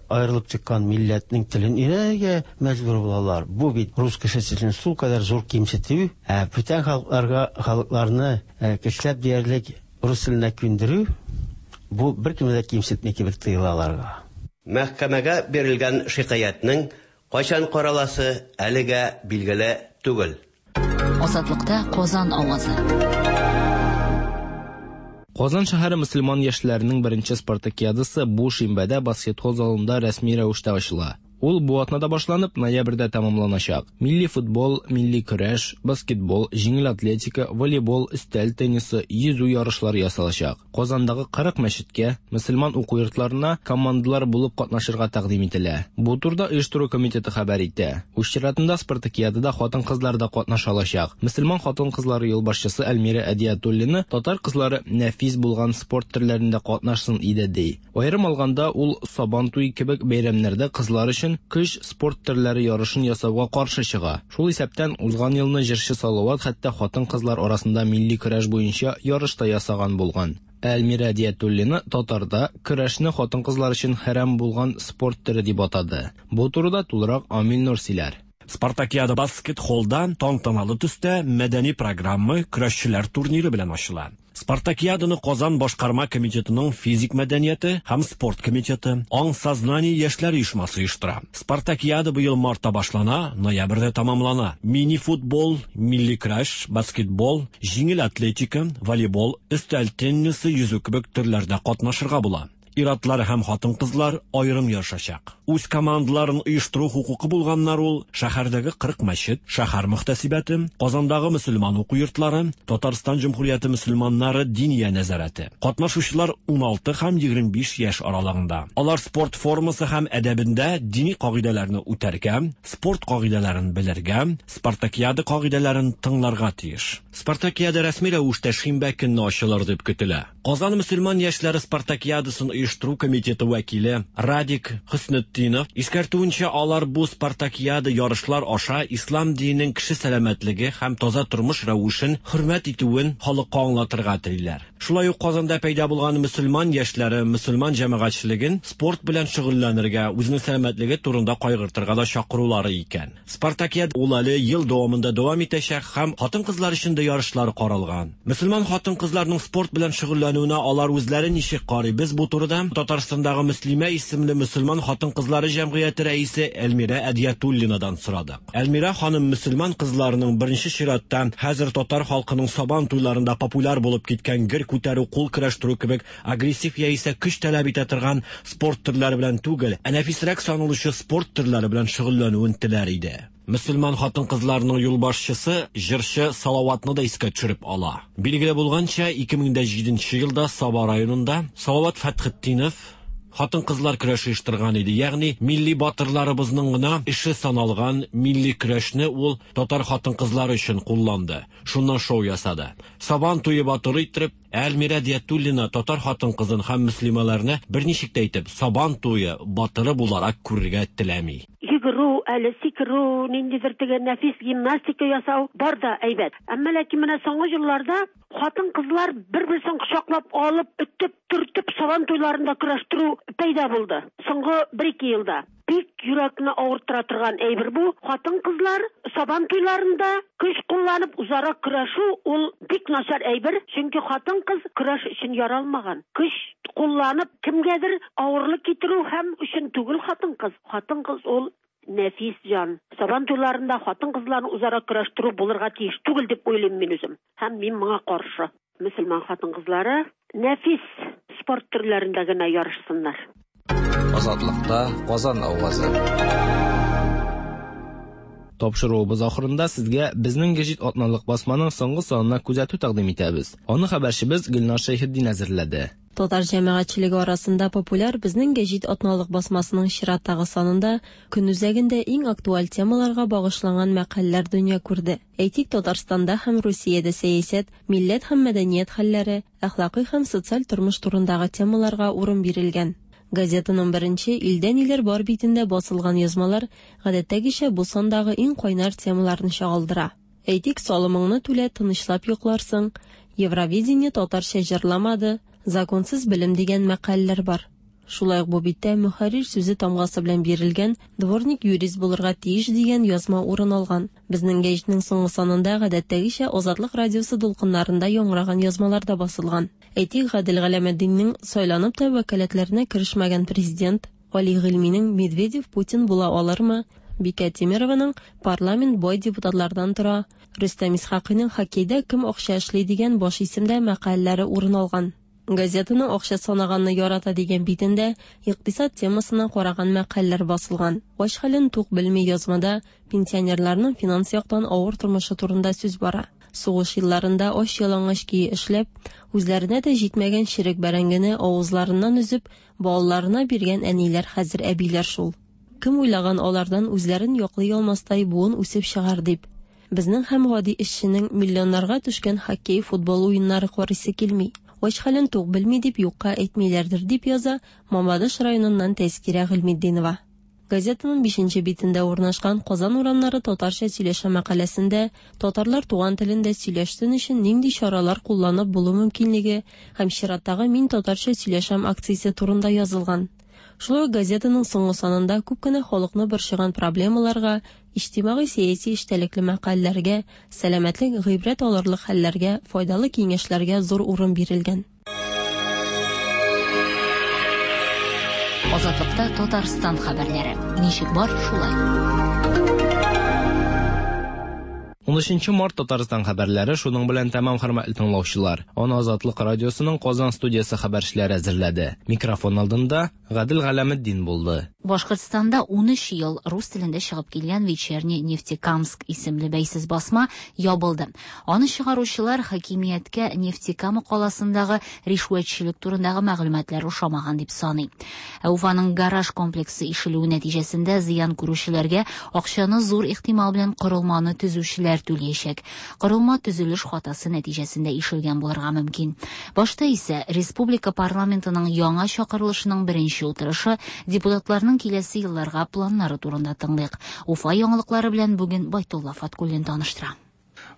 аерылып чыккан милләтнең телен өйрәнергә мәҗбүр булалар. Бу бит рус кешесе өчен шулкадәр зур кимсетү, ә бүтән халыкларга халыкларны көчләп диярлек рус теленә күндерү, бу беркемне дә кимсетми кебек тоела аларга. Мәхкәмәгә бирелгән шикаятьнең кайчан караласы әлегә билгеле түгел. Азатлыкта Казан авазы. Казан шәһәре мөселман яшьләренең беренче спартакиадасы бу шимбәдә баскетбол залында рәсми рәвештә ачыла. Ул бу атнада башланып, ноябрьдә тәмамланачак. Милли футбол, милли көрәш, баскетбол, җиңел атлетика, волейбол, өстәл теннисы, йөзү ярышлары ясалачак. Казандагы 40 мәчеткә, мөселман уку йортларына командалар булып катнашырга тәкъдим ителә. Бу турыда оештыру комитеты хәбәр итә. Үз чиратында спартакиадада хатын-кызлар да катнаша алачак. Мөселман хатын-кызлары юлбашчысы Әлмирә Әдиятуллина татар кызлары нәфис булган спорт төрләрендә катнашсын иде ди. Аерым алганда, ул Сабан туе кебек бәйрәмнәрдә кызлар өчен көч спорт төрләре ярышын ясауга каршы чыга. Шул исәптән, узган елны җырчы Салават хәтта хатын-кызлар арасында милли көрәш буенча ярыш та ясаган булган. Ә Әлмирә Әдиятуллина татарда көрәшне хатын-кызлар өчен хәрам булган спорт төре дип атады. Бу турыда тулырак Амил Нур сөйләр. Спартакиада баскет-холлда тантаналы төстә мәдәни программа, көрәшчеләр турниры белән ачыла. Спартакиаданы Казан башкарма комитетының физик мәдәнияте һәм спорт комитеты, Аң сознание яшьләр оешмасы оештыра. Спартакиада быел мартта башлана, ноябрьдә тәмамлана. Мини-футбол, милли көрәш, баскетбол, җиңел атлетика, волейбол, өстәл теннисы, йөзү кебек төрләрдә катнашырга була. Ир-атлар һәм хатын-кызлар аерым ярышачак. Үз командаларын оештыру хокукы булганнар ул шәһәрдәге 40 мәчет, шәһәр мөхтәсибәте, Казандагы мөселман уку йортлары, Татарстан Җөмһүрияте мөселманнары диния нәзарәте. Катнашучылар 16 һәм 25 яшь аралыгында. Алар спорт формасы һәм әдәбендә дини кагыйдәләрне үтәргә, спорт кагыйдәләрен белергә, спартакиада кагыйдәләрен тыңларга тиеш. Спартакиада рәсми рәвештә шимбә көнне ачылыр дип көтелә. Казан мөселман яшьләре спартакиадасын оештыру комитеты вәкиле Радик Хөснетдинов искәртүенчә, алар бу спартакиада ярышлар аша ислам диненең кеше сәламәтлеге һәм таза тормыш рәвешен хөрмәт итүен халыкка аңлатырга телиләр. Шулай ук Казанда пәйда булган мөселман яшьләре мөселман җәмәгатьчелеген спорт белән шөгыльләнергә, үзенең сәламәтлеге турында кайгыртырга да чакырулары икән. Спартакиада ул әле ел дәвамында дәвам итәчәк һәм хатын-кызлар өчен дә ярышлар каралган. Мөселман хатын-кызларның спорт белән шөгыльләнүенә алар үзләре ничек карый? Без бу турыда да Татарстандагы Мөслимә исемле мөселман хатын-кызлары җәмгыяте рәисе Эльмира Әдиятуллинадан сорадык. Эльмира ханым мөселман кызларының беренче чиратта хәзер татар халкының сабан туйларында популяр булып киткән гер күтәрү, кул көрәштерү кебек агрессив яисә көч таләп итә торган спорт төрләре белән түгел, ә нәфисрәк саналучы спорт төрләре белән шөгыльләнүен теләр иде. Мөселман хатын-кызларының юлбашчысы җырчы Салаватны да искә төшереп ала. Билгеле булганча, 2007 елда Саба районында Салават Фәтхетдинов хатын-кызлар көрәше оештырган иде. Ягъни милли батырларыбызның гына эше саналган милли көрәшне ул татар хатын-кызлары өчен кулланды. Шуннан шоу ясады. Сабан туе батыры иттереп, Әлмирә Диятуллина татар хатын-кызын һәм мөслимәләрне берничек тә итеп Сабан туе батыры буларак күрергә теләми. Йөгерү, әле сикерү, ниндидер теге нәфис гимнастика ясау бар да әйбәт. Әмма ләкин менә соңгы елларда хатын-кызлар бер-берсен кочаклап алып, өтеп, төртеп сабан туйларында көрәштерү пәйда булды. Соңгы 1-2 елда. Бик йөрәкне авырттыра торган әйбер бу. Хатын-кызлар сабан туйларында көч кулланып үзара көрәшү ул бик начар әйбер, чөнки хатын-кыз көрәш өчен яралмаган. Көч кулланып кемгәдер авырлык китерү һәм өчен түгел хатын-кыз. Хатын-кыз ул нәфис җан. Сабан туйларында хатын-кызларны үзара көрәштерү булырга тиеш түгел дип уйлыйм мин үзем. Һәм мин моңа каршы. Мөселман хатын-кызлары нәфис спорт төрләрендә генә ярышсыннар. Азатлыкта Казан авазы. Тапшыруыбыз ахырында сезгә безнең гәҗит атналык басманың соңгы санына күзәтү тәкъдим итәбез. Аны хәбәрчебез Гөлнар Шәйхетдин әзерләде. Татар җәмәгатьчелеге арасында популяр безнең гәҗит атналык басмасының чираттагы санында көн үзәгендә иң актуаль темаларга багышланган мәкаләләр дөнья күрде. Әйтик, Татарстанда һәм Русиядә сәясәт, милләт һәм мәдәният хәлләре, әхлакый һәм социаль тормыш турындагы темаларга урын бирелгән. Газетаның беренче илдә ниләр бар битендә басылган язмалар гадәттәгечә бу сандагы иң кайнар темаларны чагылдыра. Әйтик, салымыңны түлә, тынычлап йокларсың, Евровидение татарча җырламады, законсыз белем дигән мәкаләләр бар. Шулай ук бу биттә мөхәррир сүзе тамгасы белән бирелгән дворник юрист булырга тиеш дигән язма урын алган. Безнең гәҗитнең соңгы санында гадәттәгечә Азатлык радиосы дулкыннарында яңгыраган язмалар да басылган. Әйтик, Гадел Галәметдиннең сайланып та вәкаләтләренә керешмәгән президент, Али Гыйльминең Медведев Путин була алырмы, Бикә Тимированың парламент бай депутатлардан тора, Рөстәм Исхакыйның хоккейда кем акча эшли дигән баш исемдә мәкаләләре урын алган. Газетаның акча санаганны ярата дигән битендә икътисад темасына караган мәкаләләр басылган. Ач хәлен тук белми язмада пенсионерларның финанс яктан авыр тормышы турында сүз бара. Сугыш елларында ач ялангач көе эшләп, үзләренә дә җитмәгән черек бәрәңгене авызларыннан өзеп, балаларына биргән әниләр хәзер әбиләр шул. Кем уйлаган алардан үзләрен яклый алмастай буын үсеп чыгар дип. Безнең һәм гади эшченең миллионнарга төшкән хоккей, футбол уеннары карыйсы килми. Ач хәлен тук белми дип юкка әйтмиләрдер дип яза Мамадыш районыннан Тәзкирә Гыйльметдинова. Газетаның 5 битендә урнашкан Казан урамнары татарча сөйләшә мәкаләсендә татарлар туган телендә сөйләшсен өчен нинди чаралар кулланып булу мөмкинлеге һәм чираттагы Мин татарча сөйләшәм акциясе турында язылган. Шулай ук газетаның соңгы санында күп кенә халыкны борчыган проблемаларга, иҗтимагый-сәяси эчтәлекле мәкаләләргә, сәламәтлек, гыйбрәт алырлык хәлләргә, файдалы киңәшләргә зур урын бирелгән. Азатлыкта Татарстан хәбәрләре. Ничек бар, шулай. 13 март Татарстан хәбәрләре шуның белән тәмам, хөрмәтле тыңлаучылар. Аны Азатлык радиосының Казан студиясе хәбәрчеләре әзерләде. Микрофон алдында Гадел Галәметдин булды. Башкортстанда 13 ел рус телендә чыгып килгән Вечерний Нефтекамск исемле бәйсез басма ябылды. Аны чыгаручылар хакимияткә Нефтекама каласындагы ришвәтчелек турындагы мәгълүматлар ошамаган дип саный. Ә Уфаның гараж комплексы ишелүе нәтиҗәсендә зыян күрүчеләргә акчаны зур ихтимал белән корылманы төзүчеләр түләячәк. Корылма төзелеш хатасы нәтиҗәсендә ишелгән булырга мөмкин. Башта исә республика парламентының яңа чакырылышының беренче утырышы депутатларның киләсе елларга планнары турында тыңлыйк. Уфа яңалыклары белән бүген Байтулла Фаткуллин таныштыра.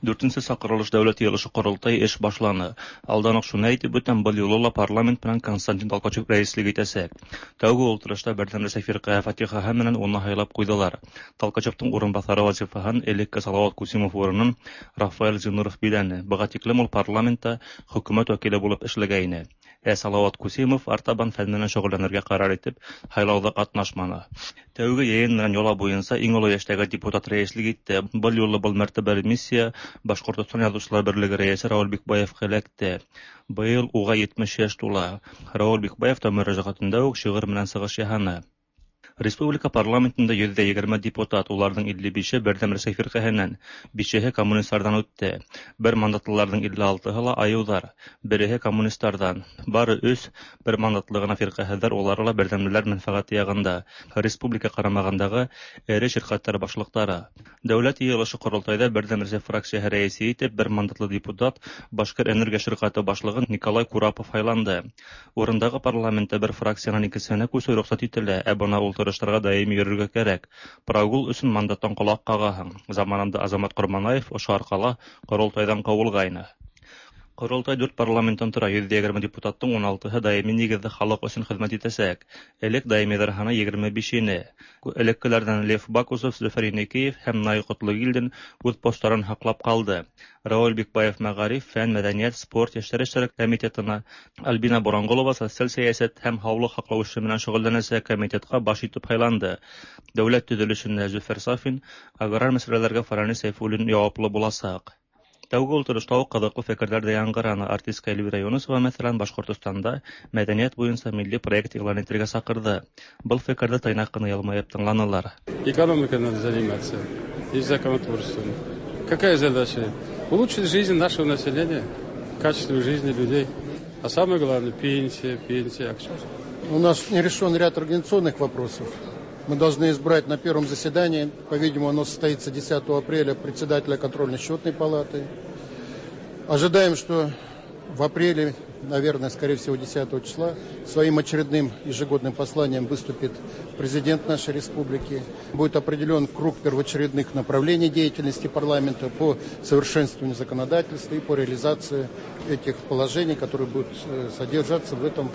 Дүртенче чакырылыш дәүләт йыелышы корылтай эш башланы. Алдан ук шуны әйтеп үтәм, был юлы ла парламент белән Константин Толкачев рәислек итәчәк. Тәүге ултырышта Бердәм Рәсәй фиркаһы фатихаһы менән уны һайлап куйдылар. Толкачевтың урынбасары вазифаһын элекке Салават Кусимов урынын Рафаэль Зиннуров биләне. Быга тиклем ул парламентта хөкүмәт вәкиле булып эшләгәйне. Ә Салават Кусимов артабан фән менән шөгыльләнергә карар итеп, һайлауда катнашманы. Тәүге йыйын менән йола буенча иң олы яшьтәге депутат рәислек итте. Был юлы был мәртәбәле миссия Башкортостан Язучылар берлеге рәисе Рауль Бикбаевка эләкте. Быел уга 70 яшь тула. Рауль Бикбаев та мөрәҗәгатендә үк шигырь менән чыгыш яһаны. Республика парламентында 120 депутат, уларның 55-е Бердәм Рәсәй фирҡәһенән, бишеһе коммунистлардан үтте. Бер мандатлыларҙың 56-һы ла айыуҙар, береһе коммунистларҙан. Бары өс бер мандатлы ғына фирҡәһеҙҙәр, улары ла берҙәмлеләр мәнфәғәте яғында. Республика ҡарамағындағы эре ширҡәттәр башлыҡтары. Дәүләт йыйылышы ҡоролтайҙа Берҙәм Рәсәй фракцияһы рәйесе итеп бер мандатлы депутат Башкир энергия ширҡәте башлығы Николай Курапов һайланды. Урындағы парламентта бер фракциянан икенсеһенә күсеү рөхсәт ителә, ә бына ултырыштарға даими йөрөргә кәрәк. Прогул өсөн мандаттан ҡолаҡ ҡағаһың. Заманында Азамат Ҡорманаев ошо арҡала ҡоролтайҙан ҡыуылғайны. Ҡоролтай дүрт парламенттан тора, 120 депутаттың 16-һы даими нигеҙҙә халыҡ өсөн хеҙмәт итәсәк. Элек даимиҙәр һаны 25 ине. Элеккеләрҙән Лев Бакусов, Зөфәр Еникеев һәм Наил Ҡотлогилдин үҙ посттарын һаҡлап ҡалды. Рауль Бикбаев мәғариф, фән, мәҙәниәт, спорт, йәштәр эштәре комитетына, Альбина Боранғолова социаль сәйәсәт һәм һаулыҡ һаҡлау эше менән шөғөлләнәсәк комитетҡа баш итеп һайланды. Дәүләт төҙөлөшөнә Зөфәр Сафин, аграр мәсьәләләргә Фаранис Сәйфуллин яуаплы буласаҡ. Тәүге ултырышта уҡ ҡыҙыҡлы фекерҙәр ҙә яңғыраны. Артистка Эльвира Юнысова, мәҫәлән, Башҡортостанда мәҙәниәт буйынса милли проект иғлан итергә саҡырҙы. Был фекерҙе тыйнаҡ ҡына йылмайып тыңланылар. Экономикой надо заниматься и законотворчеством. Какая задача? Улучшить жизнь нашего населения, качество жизни людей. А самое главное – пенсия, пенсия. У нас не решен ряд организационных вопросов. Мы должны избрать на первом заседании, по-видимому, оно состоится 10 апреля, председателя контрольно-счетной палаты. Ожидаем, что в апреле, наверное, скорее всего, 10 числа, своим очередным ежегодным посланием выступит президент нашей республики. Будет определен круг первоочередных направлений деятельности парламента по совершенствованию законодательства и по реализации этих положений, которые будут содержаться в этом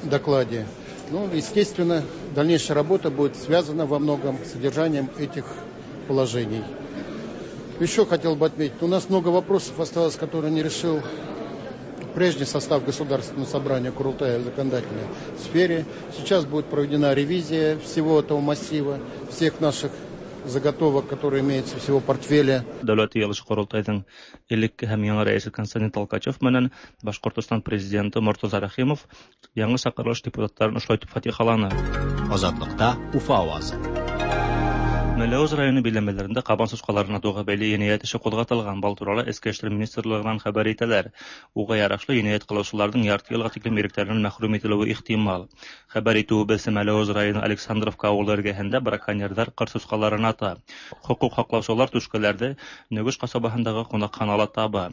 докладе. Ну, естественно, дальнейшая работа будет связана во многом с содержанием этих положений. Еще хотел бы отметить, у нас много вопросов осталось, которые не решил прежний состав Государственного собрания Курултая в законодательной сфере. Сейчас будет проведена ревизия всего этого массива, всех наших заготовок, которые имеются всего портфеля. Дәүләт йыйылышы ҡоролтайҙың элекке һәм яңы рәйесе Константин Толкачев менән Башҡортостан президенты Мортаза Рәхимов яңы саҡырылыш депутаттарын ошолай итеп фатихаланы. Азатлыкта Уфа авазы. Мәләүез районы биләмәләрендә кабан сусҡаларын атыуға бәйле енәйәт эше ҡуҙғатылған. Был турала Эске эштәр министрлығынан хәбәр итәләр. Уға ярашлы енәйәт ҡылыусыларҙың ярты йылға тиклем иректәренән мәхрүм ителеүе ихтимал. Хәбәр итеүебеҙсә, Мәләүез районы Александровка ауылы эргәһендә браконьерҙар ҡыр сусҡаларын ата. Хоҡуҡ һаҡлаусылар түшкәләрҙе Нөгөш ҡасабаһындағы ҡунаҡханала таба.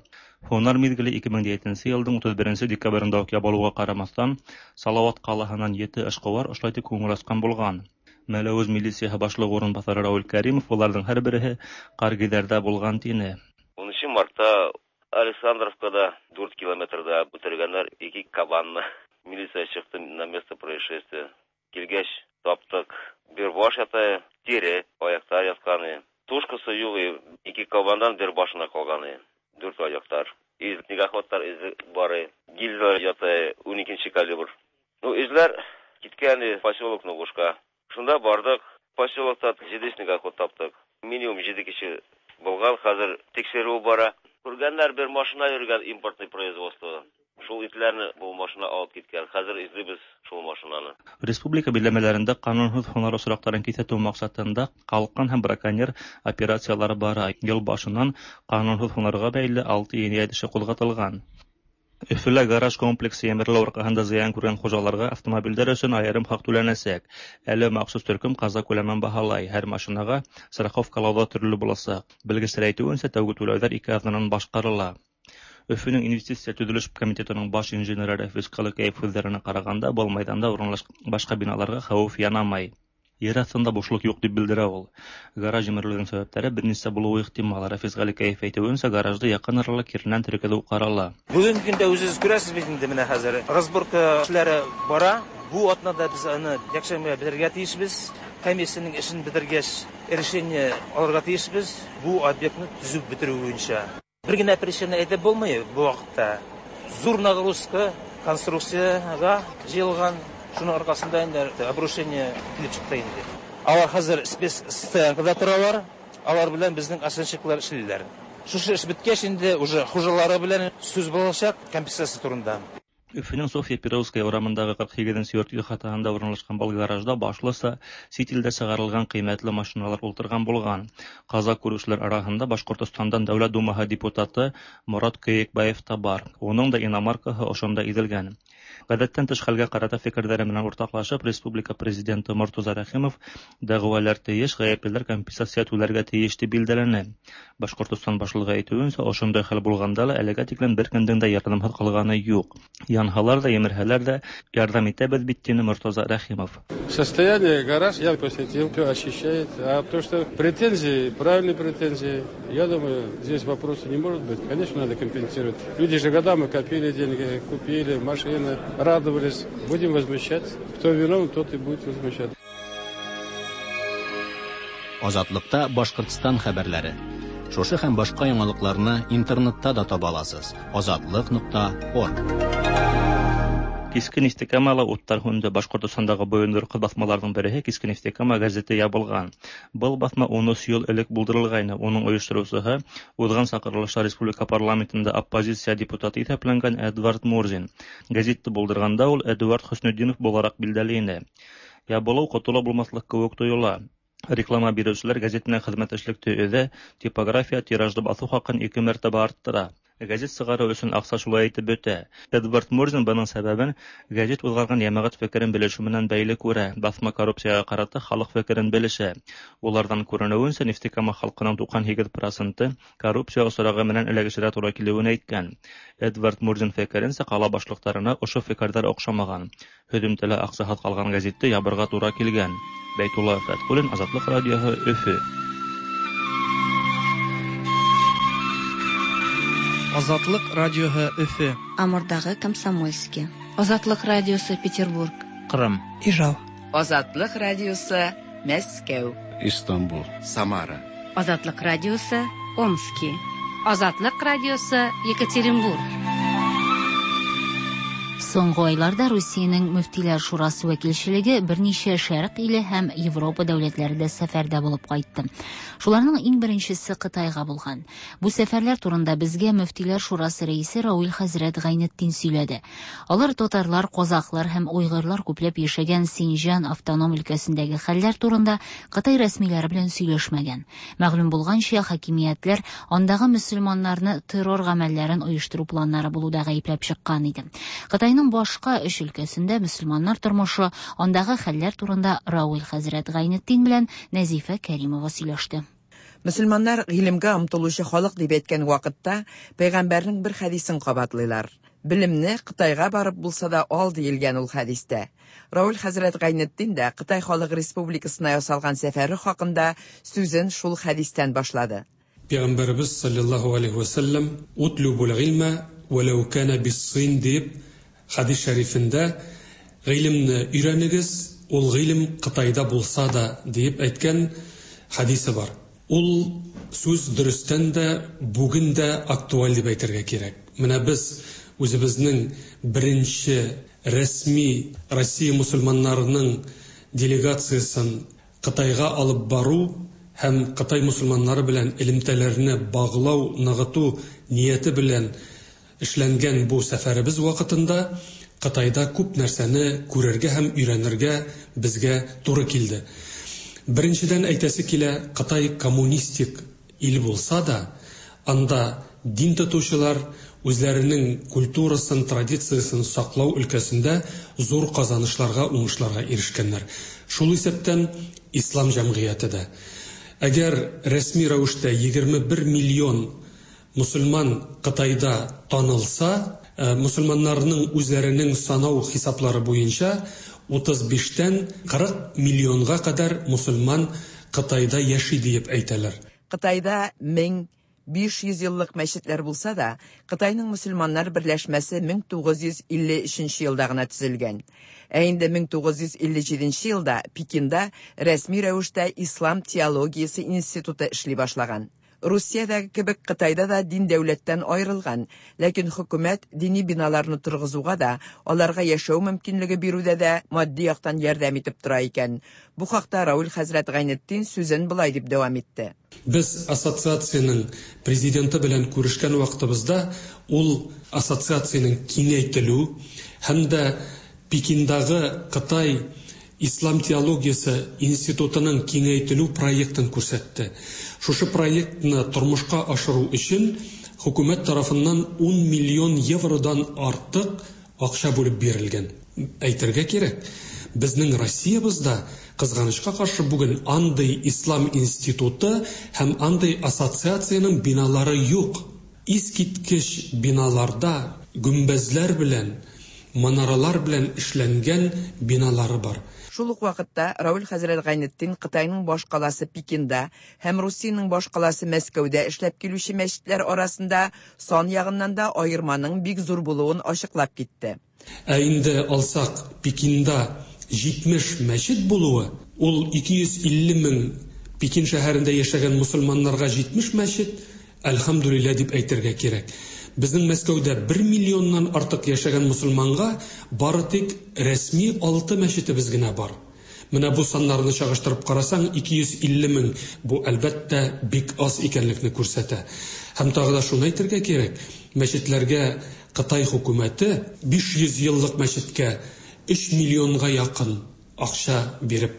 Һунар миҙгеле 2007 йылдың 31 декабрендә үк ябылыуға ҡарамаҫтан, Салауат ҡалаһынан 7 эшҡыуар ошолай итеп күңел асҡан булған. Мәләүез милицияһы башлығы урынбаҫары Рауль Кәримов уларҙың һәр береһе ҡаргиҙәрҙә булған тине. 10 мартта Александровкада 4 километрда үтергәндәр 2 кабанны. Милиция сыҡты на место происшествия. Килгәс таптыҡ. Бер баш ята, тире, аяҡтар ятҡаны. Тушкасы юҡ, 2 кабандан бер башына ҡалғаны. 4 аяҡтар. Из снегоходтар изе бары. Гильзалар ята, 12 калибр. Ну, эҙләр киткән поселок Ногушка. Шунда бардык, поселокта 7 снегоход таптык. Минимум 7 кеше булган, хәзер тикшерү бара. Күргәннәр бер машина йөргән импортный производство. Шул итләрне бу машина алып киткән. Хәзер эзлибез шул машинаны. Республика биләмәләрендә канунһыҙ һунар осраҡтарын киҫәтеү маҡсатында ҡалҡан һәм браконьер операциялары бара. Йыл башынан канунһыҙ һунарға бәйле 6 енәйәт эше ҡуҙғатылған. Өфөлә гараж комплексы емерелеү арҡаһында зыян күргән хужаларға автомобилдәр өсөн айырым хаҡ түләнәсәк. Әле махсус төркөм ҡаза күләмен баһалай. Һәр машинаға страховкалау ҙа төрлө буласаҡ. Белгестәр әйтеүенсә, тәүге түләүҙәр 2 аҙнанан башҡарыла. Өфөнөң инвестиция төҙөлөш комитетының баш инженеры Рәфис Ҡалыкәев һүҙҙәренә ҡарағанда, был майҙанда урынлашҡан башҡа биналарға хәүеф янамай. Ер аҫтында бушлыҡ юҡ тип белдерә ул. Гараж емерелеүҙең сәбәптәре бер нисә булыуы ихтимал. Рәфис Ғәликәев әйтеүенсә, гаражды яҡын арала киренән теркәтеү ҡарала. Бөгөнгө көндә үҙегеҙ күрәсез бит инде, менә хәзер разборка эшләре бара. Бу атнада беҙ аны йәкшәмбегә бетерергә тейешбеҙ. Комиссияның эшен бетергәс, решение алырға тейешбеҙ бу объектны төзөп бетереү буйынса. Бер генә причина әйтеп булмай бу ваҡытта. Зур нагрузка конструкциягә җыелган, шуның аркасында инде обрушение килеп чыкты инде. Алар хәзер спецстоянкада торалар, алар белән безнең оценщиклар эшлиләр. Шушы эш беткәч инде уже хуҗалары белән сүз булачак компенсация турында. Өфенең Софья Перовская урамындагы 48 нче йорт ихатаһында урынлашкан был гаражда башлыса чит илдә чыгарылган кыйммәтле машиналар ултырган булган. Каза күрүчеләр араһында Башкортостандан Дәүләт Думаһы депутаты Морат Көекбаев та бар. Уның да иномаркаһы ошонда изелгән. Гадәттән тыш хәлгә карата фикерләре менән уртаклашып, республика президенты Мортаза Рәхимов дәгъвалар тиеш, гаеплеләр компенсация түләргә тиеш дип билдәләне. Башкортостан башлыгы әйтүенчә, ошондай хәл булганда ла әлегә тиклем беркемдең дә ярдәмһеҙ ҡалғаны юҡ. Янһалар ҙа, емерһәләр ҙә, ярҙам итәбеҙ бит, тине Мортаза Рәхимов. Состояние гараж я посетил, все очищает. А то, что претензии, правильные претензии, я думаю, здесь вопроса не может быть. Конечно, надо компенсировать. Люди же годами копили деньги, купили машины, радовались. Будем возмущаться. Кто виновен, тот и будет возмущаться. Азатлыкта Башкортстан хәбәрләре. Шушы һәм башка яңалыкларны интернетта да таба аласыз. Азатлык.орг. Киске Нефтекамала уттар һүнде. Башкортостандағы бойондорҡы баҫмаларҙың береһе Киске Нефтекама газеты ябылған. Был баҫма 13 йыл элек булдырылғайны. Уның ойоштороусыһы уҙған саҡырылышта республика парламентында оппозиция депутаты иҫәпләнгән Эдвард Мурзин. Газетты булдырғанда ул Эдуард Хөснетдинов булараҡ билдәле ине. Ябылыу ҡотола булмаҫлыҡ кеүек тойола. Реклама биреүселәр газет менән хеҙмәттәшлекте өҙә, типография тиражды баҫыу хаҡын 2 мәртәбә арттыра. Газет сығарыу өсөн аҡса шулай итеп бөтә. Эдвард Мурзин бының сәбәбен газет уҙғарған йәмәғәт фекерен белешеү менән бәйле күрә. Баҫма коррупцияға ҡарата халыҡ фекерен белешә. Уларҙан күренеүенсә, Нефтекама халҡының 98% коррупция осрағы менән эләгешергә тура килеүен әйткән. Эдвард Мурзин фекеренсә, ҡала башлыҡтарына ошо фекерҙәр оҡшамаған. Һөҙөмтәлә аҡсаһыҙ ҡалған газетте ябырға тура килгән. Бәйтулла Фәтхуллин, Азатлыҡ радиоһы, Өфө. Азатлык радиоһы Өфө. Амурдагы Комсомольский. Азатлык радиосы Петербург. Кырым. Ижау. Азатлык радиосы Мәскәү. Истанбул. Самара. Азатлык радиосы Омски. Азатлык радиосы Екатеринбург. Соңгы айларда Русиянең Мөфтиләр шурасы вәкилчелеге берничә шәрык иле һәм Европа дәүләтләрендә сәфәрдә булып кайтты. Шуларның иң беренчесе Кытайга булган. Бу сәфәрләр турында безгә Мөфтиләр шурасы рәисе Рауил хәзрәт Гайнетдин сөйләде. Алар татарлар, казахлар һәм уйгырлар күпләп яшәгән Синҗан автоном өлкәсендәге хәлләр турында Кытай рәсмиләре белән сөйләшмәгән. Мәгълүм булганча, хакимиятләр андагы мөселманнарны террор гамәлләрен оештыру планнары булуда гаепләп чыккан иде. Кытайның башка өч өлкәсендә мөселманнар тормышы, андагы хәлләр турында Рауил хәзрәт Гайнетдин белән Нәзифә Кәримова сөйләште. Мөселманнар гыйлемгә омтылучы халык дип әйткән вакытта пәйгамбәрнең бер хәдисен кабатлыйлар. Белемне Кытайга барып булса да ал диелгән ул хәдистә. Рауил хәзрәт Гайнетдин дә Кытай халык республикасына ясалган сәфәре хакында сүзен шул хәдистән башлады. Пәйгамбәребез саллаллаһу алейхи ва саллям утлубул гыйльма валау кана бис-син дип хадис шәрифендә гыйлемне өйрәнегез, ул гыйлем Кытайда булса да дип әйткән хадисе бар. Ул сүз дөрестән дә бүген дә актуаль дип әйтергә кирәк. Менә без үзебезнең беренче рәсми Россия мусульманнарының делегациясын Кытайга алып бару һәм Кытай мусульманнары белән элемтәләрне баглау, ныгыту нияте белән эшләнгән бу сәфәребез вакытында Кытайда күп нәрсәне күрергә һәм өйрәнергә безгә туры килде. Беренчедән әйтәсе килә, Кытай коммунистик ил булса да, анда дин тотучылар үзләренең культурасын, традициясын саклау өлкәсендә зур казанышларга, уңышларга ирешкәннәр. Шул исәптән ислам җәмгыяте дә. Әгәр рәсми рәвештә 21 миллион мусульман Кытайда танылса, мусульманнарның үзләренең санау хисаплары буенча 35-тән 40 миллионга кадәр мусульман Кытайда яши диеп әйтәләр. Кытайда 1500 еллык мәчетләр булса да, Кытайның мусульманнар берләшмәсе 1953 елда гына төзелгән. Ә инде 1957 елда Пекинда рәсми рәвештә Ислам теологиясе институты эшли башлаган. Русиядәге кебек Кытайда да дин дәүләттән аерылган, ләкин хөкүмәт дини биналарны торгызуга да, аларга яшәү мөмкинлеге бирүдә дә матди яктан ярдәм итеп тора икән. Бу хакта Равил хәзрәт Гайнетдин сүзен болай дип дәвам итте. Без ассоциациянең президенты белән күрешкән вакытыбызда ул ассоциациянең киңәйтелү һәм дә Пекиндагы Кытай ислам теологиясе институтының киңәйтелү проектын күрсәтте. Шушы проектны тормышка ашыру өчен хөкүмәт тарафыннан 10 миллион евродан артык акча бүлеп бирелгән. Әйтергә кирәк, безнең Россиябездә, кызганычка каршы, бүген андый ислам институты һәм андый ассоциациянең биналары юк. Искиткеч биналарда гөмбәзләр белән, манаралар белән эшләнгән биналары бар. Шул ук вакытта Равил хәзрәт Гайнетдин Кытайның башкаласы Пекинда һәм Русиянең башкаласы Мәскәүдә эшләп килүче мәчетләр арасында сан ягыннан да аерманың бик зур булуын ачыклап китте. Ә инде алсак, Пекинда 70 мәчет булуы, ул 250 мең Пекин шәһәрендә яшәгән мосылманнарга 70 мәчет, әлхәмдүлилләһ дип әйтергә кирәк. Безнең Мәскәүдә бер миллионнан артык яшәгән мосылманга бары тик рәсми алты мәчетебез генә бар. Менә бу саннарны чагыштырып карасаң, 250 мең, бу, әлбәттә, бик аз икәнлекне күрсәтә. Һәм тагы да шуны әйтергә кирәк, мәчетләргә Кытай хөкүмәте 500 еллык мәчеткә өч миллионга якын акча биреп,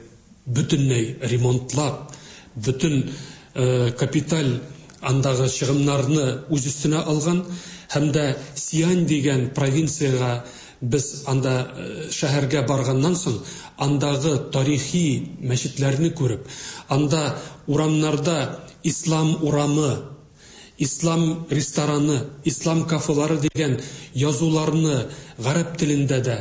бөтенләй ремонтлап, бөтен капиталь андагы чыгымнарны үз өстенә алган һәм дә Сиань дигән провинциягә без анда шәһәргә барганнан соң, андагы тарихи мәчетләрне күреп, анда урамнарда Ислам урамы, Ислам рестораны, Ислам кафелары дигән язуларны гарәп телендә дә,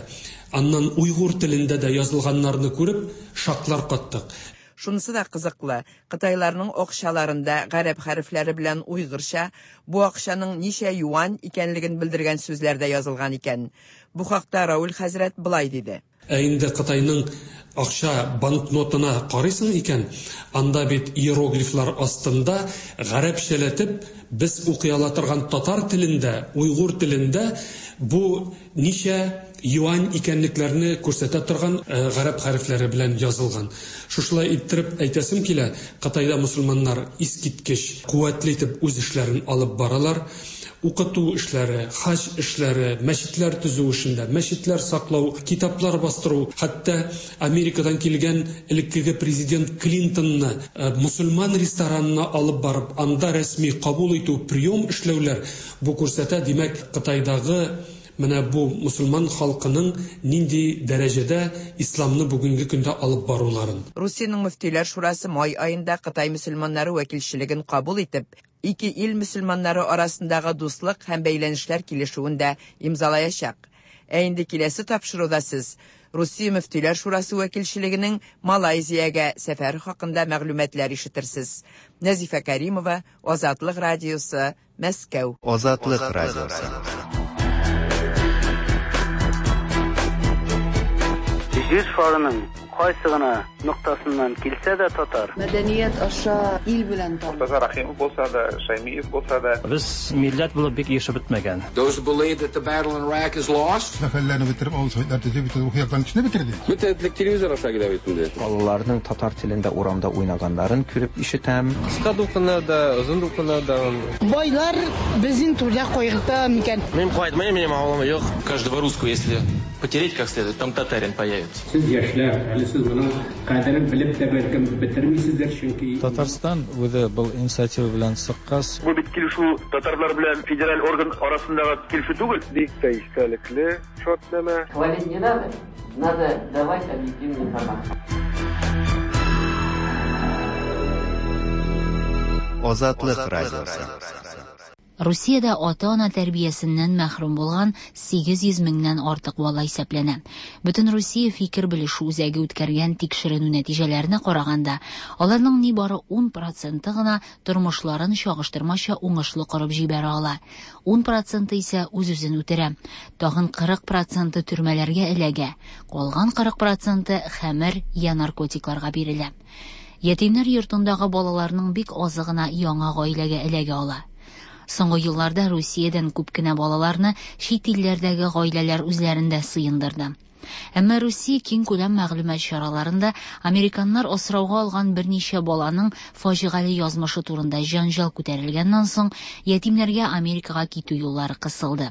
аннан уйгур телендә дә язылганнарны күреп, шаклар каттык. Шунысы да кызыклы, кытайларның акчаларында гарәп хәрефләре белән уйгырча бу акчаның ничә юань икәнлеген белдергән сүзләр дә язылган икән. Бу хакта Рауль хәзрәт болай диде. Ә инде Кытайның акча банкнотына карыйсың икән, анда бит иероглифлар астында гарәпчәләтеп без укый ала торган татар телендә, уйгур телендә бу ничә юань икәнлекләрне күрсәтә торган гарәп хәрефләре белән язылган. Шушылай иттереп әйтәсем килә, Кытайда мосылманнар искиткеч куәтле итеп үз эшләрен алып баралар. Укыту эшләре, хаҗ эшләре, мәчетләр төзү эшендә, мәчетләр саклау, китаплар бастыру, хәтта Америкадан килгән элеккеге президент Клинтонны мосылман ресторанына алып барып, анда рәсми кабул итү, прием эшләүләр, бу күрсәтә, димәк, Кытайдагы менә бу мосылман халкының нинди дәрәҗәдә исламны бүгенге көндә алып баруларын. Русиянең мөфтиләр шурасы май аенда Кытай мөселманнары вәкилчелеген кабул итеп, ике ил мөселманнары арасындагы дуслык һәм бәйләнешләр килешүен дә имзалаячак. Ә инде киләсе тапшыруда сез Русия мөфтиләр шурасы вәкилчелегенең Малайзиягә сәфәре хакында мәгълүматлар ишетерсез. Нәзифә Кәримова, Азатлык радиосы, Мәскәү. Азатлык радиосы. Җир шарының кайсы гына ноктасыннан килсә дә татар. Мәдәният аша ил белән таныш. Мортаза Рәхимов булса да, Шәймиев булса да. Без милләт булып бик ирешеп бетмәгән. Those who believe that the battle in Iraq is lost. Мәхәлләне бетереп, авыл советлар төзеп, бөтен рухи яктан кешене бетерде. Бөтен этлек телевизор аша килә бит инде. Балаларның татар телендә урамда уйнаганнарын күреп ишетәм. Кыска дулкыннар да, озын дулкыннар да. Байлар безнең түрдә кайгырта микән? Мин кайтмыйм, минем авылым юк. Каждого русского, если потереть как следует, там татарин появится. Сез яшьләр, әле сез моның кадерен белеп тә бәлкем бетермисездер, чөнки Татарстан үзе был инициатива белән чыккач. Бу бит килешү татарлар белән федераль орган арасындагы килешү түгел. Бик тә истәлекле шартнамә. Хвалить не надо, надо давать объективную информацию. Азатлык радиосы. Русиядә ата-ана тәрбиясеннән мәхрүм булган 800 меңнән артык бала исәпләнә. Бөтенрусия фикер белешү үзәге үткәргән тикшеренү нәтиҗәләренә караганда, аларның нибары 10 проценты гына тормышларын чагыштырмача уңышлы корып җибәрә ала. 10 проценты исә үз-үзен үтерә. Тагын 40 проценты төрмәләргә эләгә. Калган 40 проценты хәмер я наркотикларга бирелә. Ятимнәр йортындагы балаларның бик азы гына яңа гаиләгә эләгә ала. Соңгы елларда Русиядән күп кенә балаларны чит илләрдәге гаиләләр үзләрендә сыендырды. Әмма Русия киңкүләм мәгълүмат чараларында американнар асрауга алган берничә баланың фаҗигале язмышы турында җәнҗал күтәрелгәннән соң, ятимнәргә Америкага китү юллары кысылды.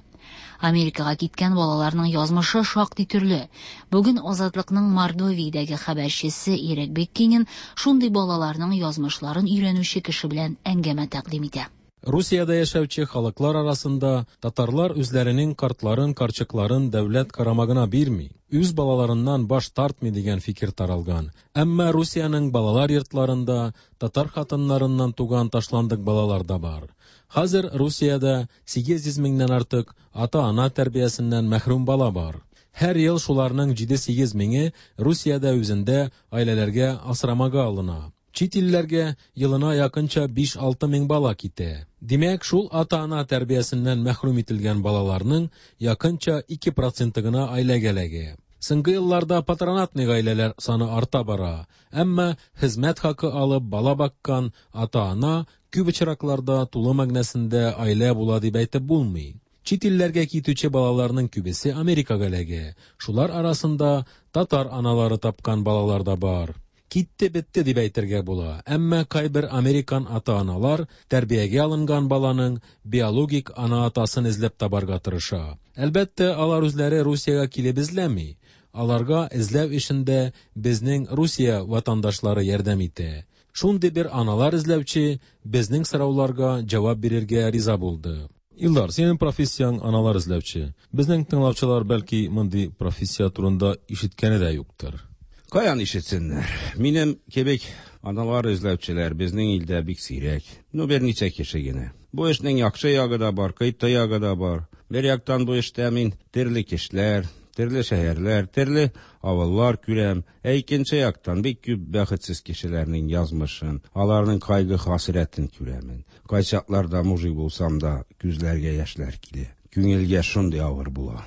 Америкага киткән балаларның язмышы шактый төрле. Бүген Азатлыкның Мордовиядәге хәбәрчесе Ирек Беккинин шундый балаларның язмышларын өйрәнүче кеше белән әңгәмә тәкъдим итә. Русиядә яшәүче халыклар арасында татарлар үзләренең картларын, карчыкларын дәүләт карамагына бирми, үз балаларыннан баш тартмый дигән фикер таралган. Әмма Русиянең балалар йортларында татар хатыннарыннан туган ташландык балалар да бар. Хәзер Русиядә 800 меңнән артык ата-ана тәрбиясеннән мәхрүм бала бар. Һәр ел шуларның 7-8 меңе Русиядә үзендә гаиләләргә асрамага алына. Чит илләргә елына якынча 5-6 мең бала китә. Димәк, шул ата-ана тәрбиясеннән мәхрүм ителгән балаларның якынча 2 проценты гына гаиләгә эләгә. Соңгы елларда патронатный гаиләләр саны арта бара. Әмма хезмәт хакы алып бала баккан ата-ана күп очракларда тулы мәгънәсендә гаилә була дип әйтеп булмый. Чит илләргә китүче балаларның күбесе Америкага эләгә. Шулар арасында татар аналары тапкан балалар да бар. Китте бетте дип әйтергә була. Әмма кайбер американ ата-аналар тәрбиягә алынган баланың биологик ана-атасын эзләп табарга тырыша. Әлбәттә, алар үзләре Русиягә килеп эзләми. Аларга эзләү эшендә безнең Русия ватандашлары ярдәм итә. Шундый бер аналар эзләүче безнең сорауларга җавап бирергә риза булды. Илдар, синең профессияң аналар эзләүче. Безнең тыңлаучылар бәлки мондый профессия турында ишеткәне дә юктыр. Каян ишетсеннәр? Минем кебек аналар эзләүчеләр безнең илдә бик сирәк. Ну, берничә кеше генә. Бу эшнең яхшы ягы да бар, кыйты ягы да бар. Бер яктан бу эштә мин төрле кешеләр, төрле шәһәрләр, төрле авыллар күрәм. Ә икенче яктан бик күп бәхетсез кешеләрнең язмышын, аларның кайгы-хәсрәтен күрәмен. Кайчакларда мужик булсам да, күзләргә яшьләр килә. Күңелгә шундый авыр була.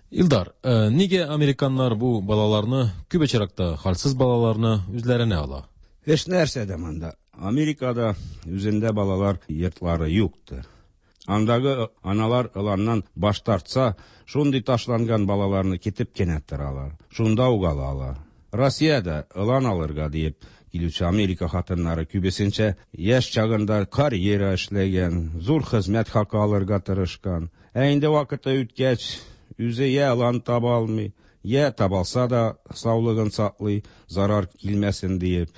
Илдар, нигә американнар бу балаларны, күп очракта хәлсез балаларны үзләренә ала? Эш нәрсәдә монда? Америкада үзендә балалар йортлары юктыр. Андагы аналар ыланнан баш тартса, шундый ташланган балаларны китеп кенә торалар. Шунда ук алалар. Россиядә ылан алырга диеп килүче Америка хатыннары күбесенчә яшь чагында карьера эшләгән, зур хезмәт хакы алырга тырышкан. Ә инде вакыты үткәч, үзе я ылан таба алмый, я табалса да саулыгын саклый, зарар килмәсен диеп.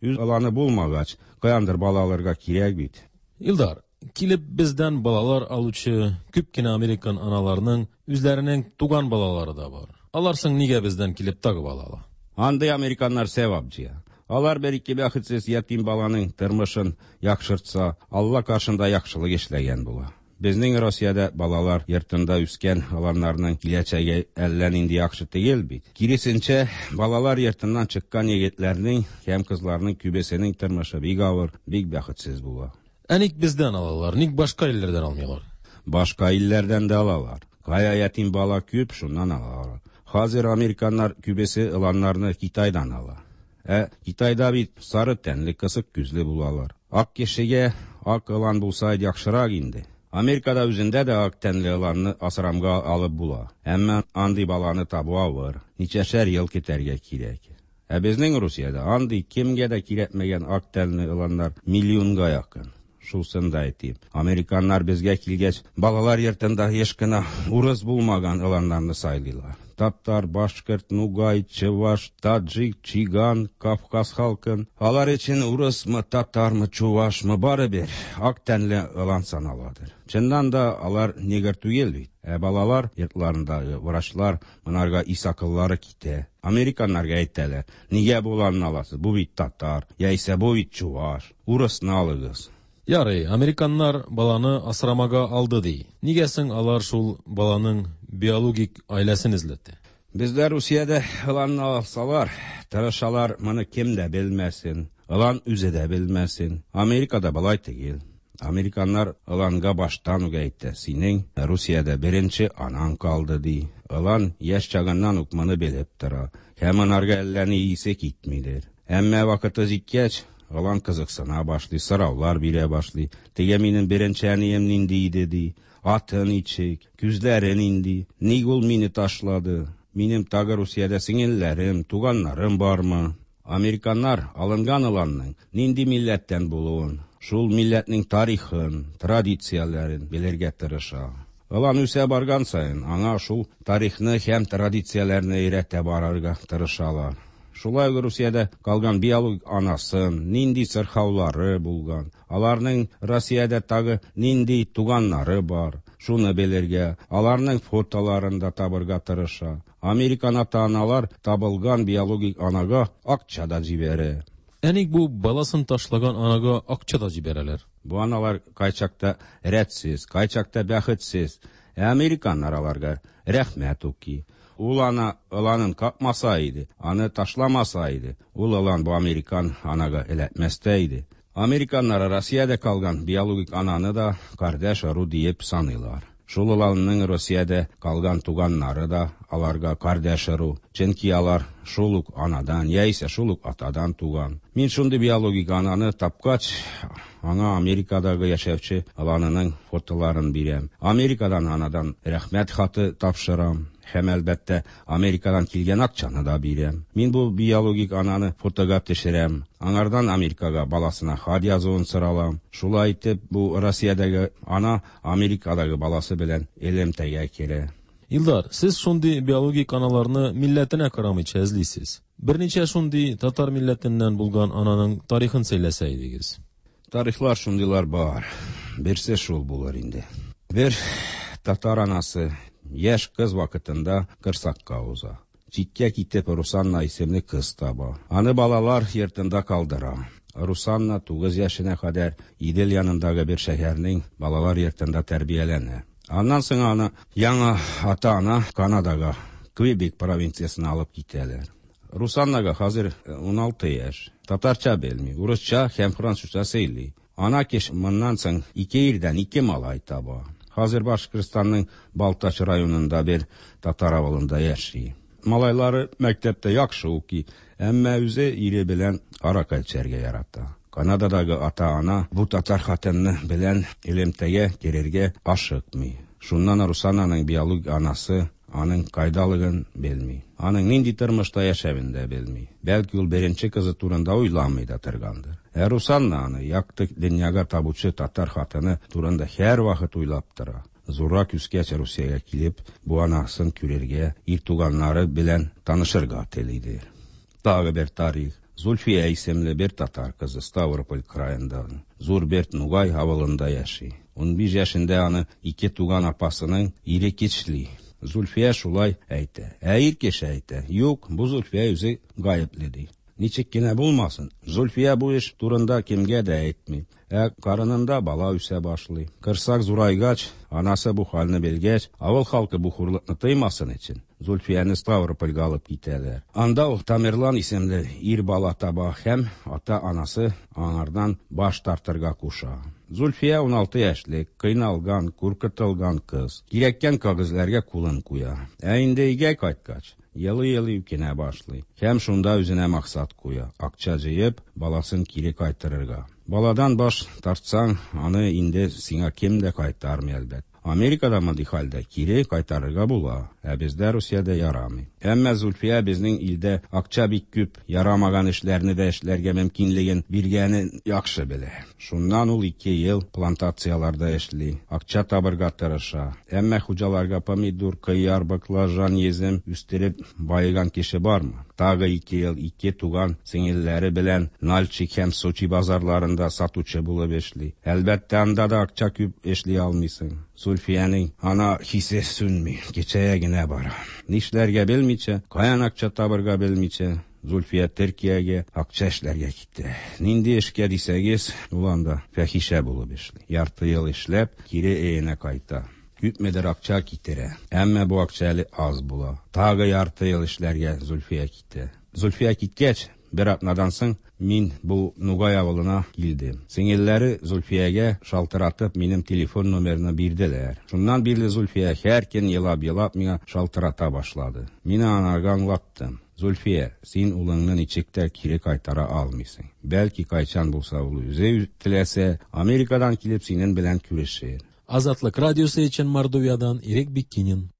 Үз ыланы булмагач, каяндыр бала алырга кирәк бит. Илдар, килеп бездән балалар алучы күп кенә американ аналарының үзләренең туган балалары да бар. Алар соң нигә бездән килеп тагы бала ала? Андый американнар сәвап җыя. Алар бер ике бәхетсез ятим баланың тормышын яхшыртса, Алла каршында яхшылык эшләгән була. Безнең Россиядә балалар йортында үскән аланнарның киләчәге әллә нинди яхшы түгел бит. Киресенчә, балалар йортыннан чыккан егетләрнең һәм кызларның күбесенең тормышы бик авыр, бик бәхетсез була. Ә ник бездән алалар, ник башка илләрдән алмыйлар? Башка илләрдән дә алалар. Кая ятим бала күп, шуннан алалар. Хәзер американнар күбесе ыланнарны Китайдан ала. Ә Китайда бит сары тәнле, кысык күзле булалар. Ак кешегә ак ылан булса яхшырак инде. Америкада үзендә дә ак тәнле ыланны асрамга алып була. Әмма андый баланы табу авыр. Ничәшәр ел көтәргә кирәк. Ә безнең Русиядә андый кемгә дә кирәкмәгән ак тәнле ыланнар миллионга якын. Шусын да әйтим. Американнар безгә килгәч, балалар йортында еш кына урыс булмаган ыланнарны сайлыйлар. Татар, башкорт, нугай, чуваш, таджик, чиган, кавказ халкын. Алар өчен урысмы, татармы, чувашмы барыбер ак тәнле ылан саналадыр. Чыннан да алар негр түгел бит. Ә балалар йортларындагы врачлар монарга ис акыллары китә. Американнарга әйтәләр, нигә бу ыланны аласыз? Бу бит татар, яисә бу бит чуваш. Урысны алыгыз. Ярый, американнар баланы асрамага алды ди. Нигә соң алар шул баланың биологик гаиләсен эзләтә? Бездә Русиядә ыланны алсалар, тырышалар, моны кем дә белмәсен, ылан үзе дә белмәсен. Америкада болай түгел. Американнар ыланга баштан ук әйтә, синең Русиядә беренче анаң калды ди. Ылан яшь чагыннан ук моны белеп тора. Һәм анарга әллә ни исе китмидер. Әмма вакыты җиткәч, ылан кызыксына башлый, сораулар бирә башлый. Теге минем беренче әнием нинди иде, ди. Аты ничек, күзләре нинди, ник ул мине ташлады? Минем тагы Русиядә сеңелләрем, туганнарым бармы? Американнар алынган ыланның нинди милләттән булуын, шул милләтнең тарихын, традицияләрен белергә тырыша. Ылан үсә барган саен, аңа шул тарихны һәм традицияләрне өйрәтә барырга тырышалар. Шулай ук Русиядә калган биологик анасын, нинди сырхаулары булган, аларның Россиядә тагы нинди туганнары бар, шуны белергә, аларның фотоларын да табырга тырыша. Американ ата-аналар табылган биологик анага акча да җибәрә. Ә ник бу баласын ташлаган анага акча да җибәрәләр? Бу аналар кайчакта рәтсез, кайчакта бәхетсез. Ә американнар аларга рәхмәт укый. Ул ана ыланын какмаса иде, аны ташламаса иде, ул ылан бу американ анага эләкмәс тә иде. Американнар Россиядә калган биологик ананы да кардәш ыру диеп саныйлар. Шул ыланның Россиядә калган туганнары да аларга кардәш ыру, чөнки алар шул ук анадан яисә шул ук атадан туган. Мин шундый биологик ананы тапкач, аңа Америкадагы яшәүче ыланының фотоларын бирәм. Америкадан анадан рәхмәт хаты тапшырам. Һәм, әлбәттә, Америкадан килгән акчаны да бирәм. Мин бу биологик ананы фотога төшерәм. Аңардан Америкага баласына хат язуын соралам. Шулай итеп, бу Россиядәге ана Америкадагы баласы белән элемтәгә керә. Илдар, сез шундый биологик аналарны милләтенә карамыйча эзлисез. Берничә шундый татар милләтеннән булган ананың тарихын сөйләсә идегез. Тарихлар шундыйлар бар. Берсе шул булыр инде. Бер татар анасы яшь кыз вакытында корсакка уза. Читкә китеп Русанна исемле кыз таба. Аны балалар йортында калдыра. Русанна 9 яшенә кадәр Идел янындагы бер шәһәрнең балалар йортында тәрбияләнә. Аннан соң аны яңа ата-ана Канадага, Квебек провинциясенә алып китәләр. Русаннага хәзер 16 яшь. Татарча белми, урысча һәм французча сөйли. Ана кеше моннан соң ике ирдән ике малай таба. Хәзер Башкортстанның Балтач районында бер татар авылында яши. Малайлары мәктәптә яхшы укый, әмма үзе ире белән аракы эчәргә ярата. Канададагы ата-ана бу татар хатыны белән элемтәгә керергә ашыкмый. Шуннан Русананың биологик анасы аның кайдалыгын белми. Аның нинди тормышта яшәвен дә белми. Бәлки ул беренче кызы турында уйламый да торгандыр. Ә Русанна аны якты дөньяга табучы татар хатыны турында һәрвакыт уйлап тора. Зуррак үскәч Русиягә килеп, бу анасын күрергә, ир туганнары белән танышырга телидер. Тагы бер тарих. Зульфия исемле бер татар кызы Ставрополь краенда, Зур Берт Нугай авылында яши. 15 яшендә аны ике туган апасының ире кичли. Зульфия шулай әйтә. Ә ир кеше әйтә: "Юк, бу Зульфия үзе гаепле", ди. Ничек кенә булмасын, Зульфия бу эш турында кемгә дә әйтми. Ә карынында бала үсә башлый. Корсак зурайгач, анасы бу хәлне белгәч, авыл халкы бу хурлыкны тоймасын өчен, Зульфияне Ставропольгә алып китәләр. Анда ул Тамерлан исемле ир бала таба һәм ата-анасы аңардан баш тартырга куша. Зульфия 16 яшьлек, кыйналган, куркытылган кыз. Кирәккән кәгазьләргә кулын куя. Ә инде өйгә кайткач, елый-елый үкенә башлый. Һәм шунда үзенә максат куя: акча җыеп, баласын кире кайтарырга. Баладан баш тартсаң, аны инде сиңа кем дә кайтармый, әлбәттә. Америкада мондый хәлдә кире кайтарырга була, ә бездә Русиядә ярамый. Әмма Зульфия безнең илдә акча бик күп, ярамаган эшләрне дә эшләргә мөмкинлеген биргәнен яхшы белә. Шуннан ул 2 ел плантацияләрдә эшли, акча табырга тырыша. Әмма хуҗаларга помидор, кыяр, баклажан, йөзем үстереп баеган кеше бармы? Тагы 2 ел ике туган сеңелләре белән Нальчик һәм Сочи базарларында сатучы булып эшли. Әлбәттә, анда да акча күп эшли алмыйсың. Зульфиянең ана хисе сүнми, кечәя генә бара. Нишләргә белмичә, каян акча табырга белмичә, Зульфия Төркиягә акча эшләргә китте. Нинди эшкә дисәгез, ул анда фәхишә булып эшли. Ярты ел эшләп, кире өенә кайта. Күпмедер акча китерә. Әмма бу акча әле аз була. Тагы ярты ел эшләргә Зульфия китә. Зульфия киткәч, Бер атнадан соң мин бу Нугай авылына килдем. Сеңелләре Зульфиягә шалтыратып минем телефон номерны бирделәр. Шуннан бирле Зульфия һәр көн елап-елап миңа шалтырата башлады. Мин аңарга аңлаттым. Зульфия, син улыңны ничек тә кире кайтара алмыйсың. Бәлки кайчан булса ул үзе теләсә, Америкадан килеп синең белән күрешер. Азатлык радиосы өчен Мордовиядан Ирек Биккинин.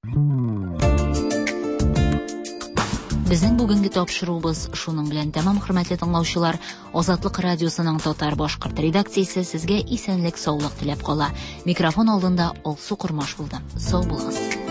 Безнең бүгенге тапшыруыбыз шуның белән тәмам, хөрмәтле тыңлаучылар. Азатлык радиосының татар башкорт редакциясе сезгә исәнлек, саулык теләп кала. Микрофон алдында Алсу Кормаш булды. Сау булыгыз.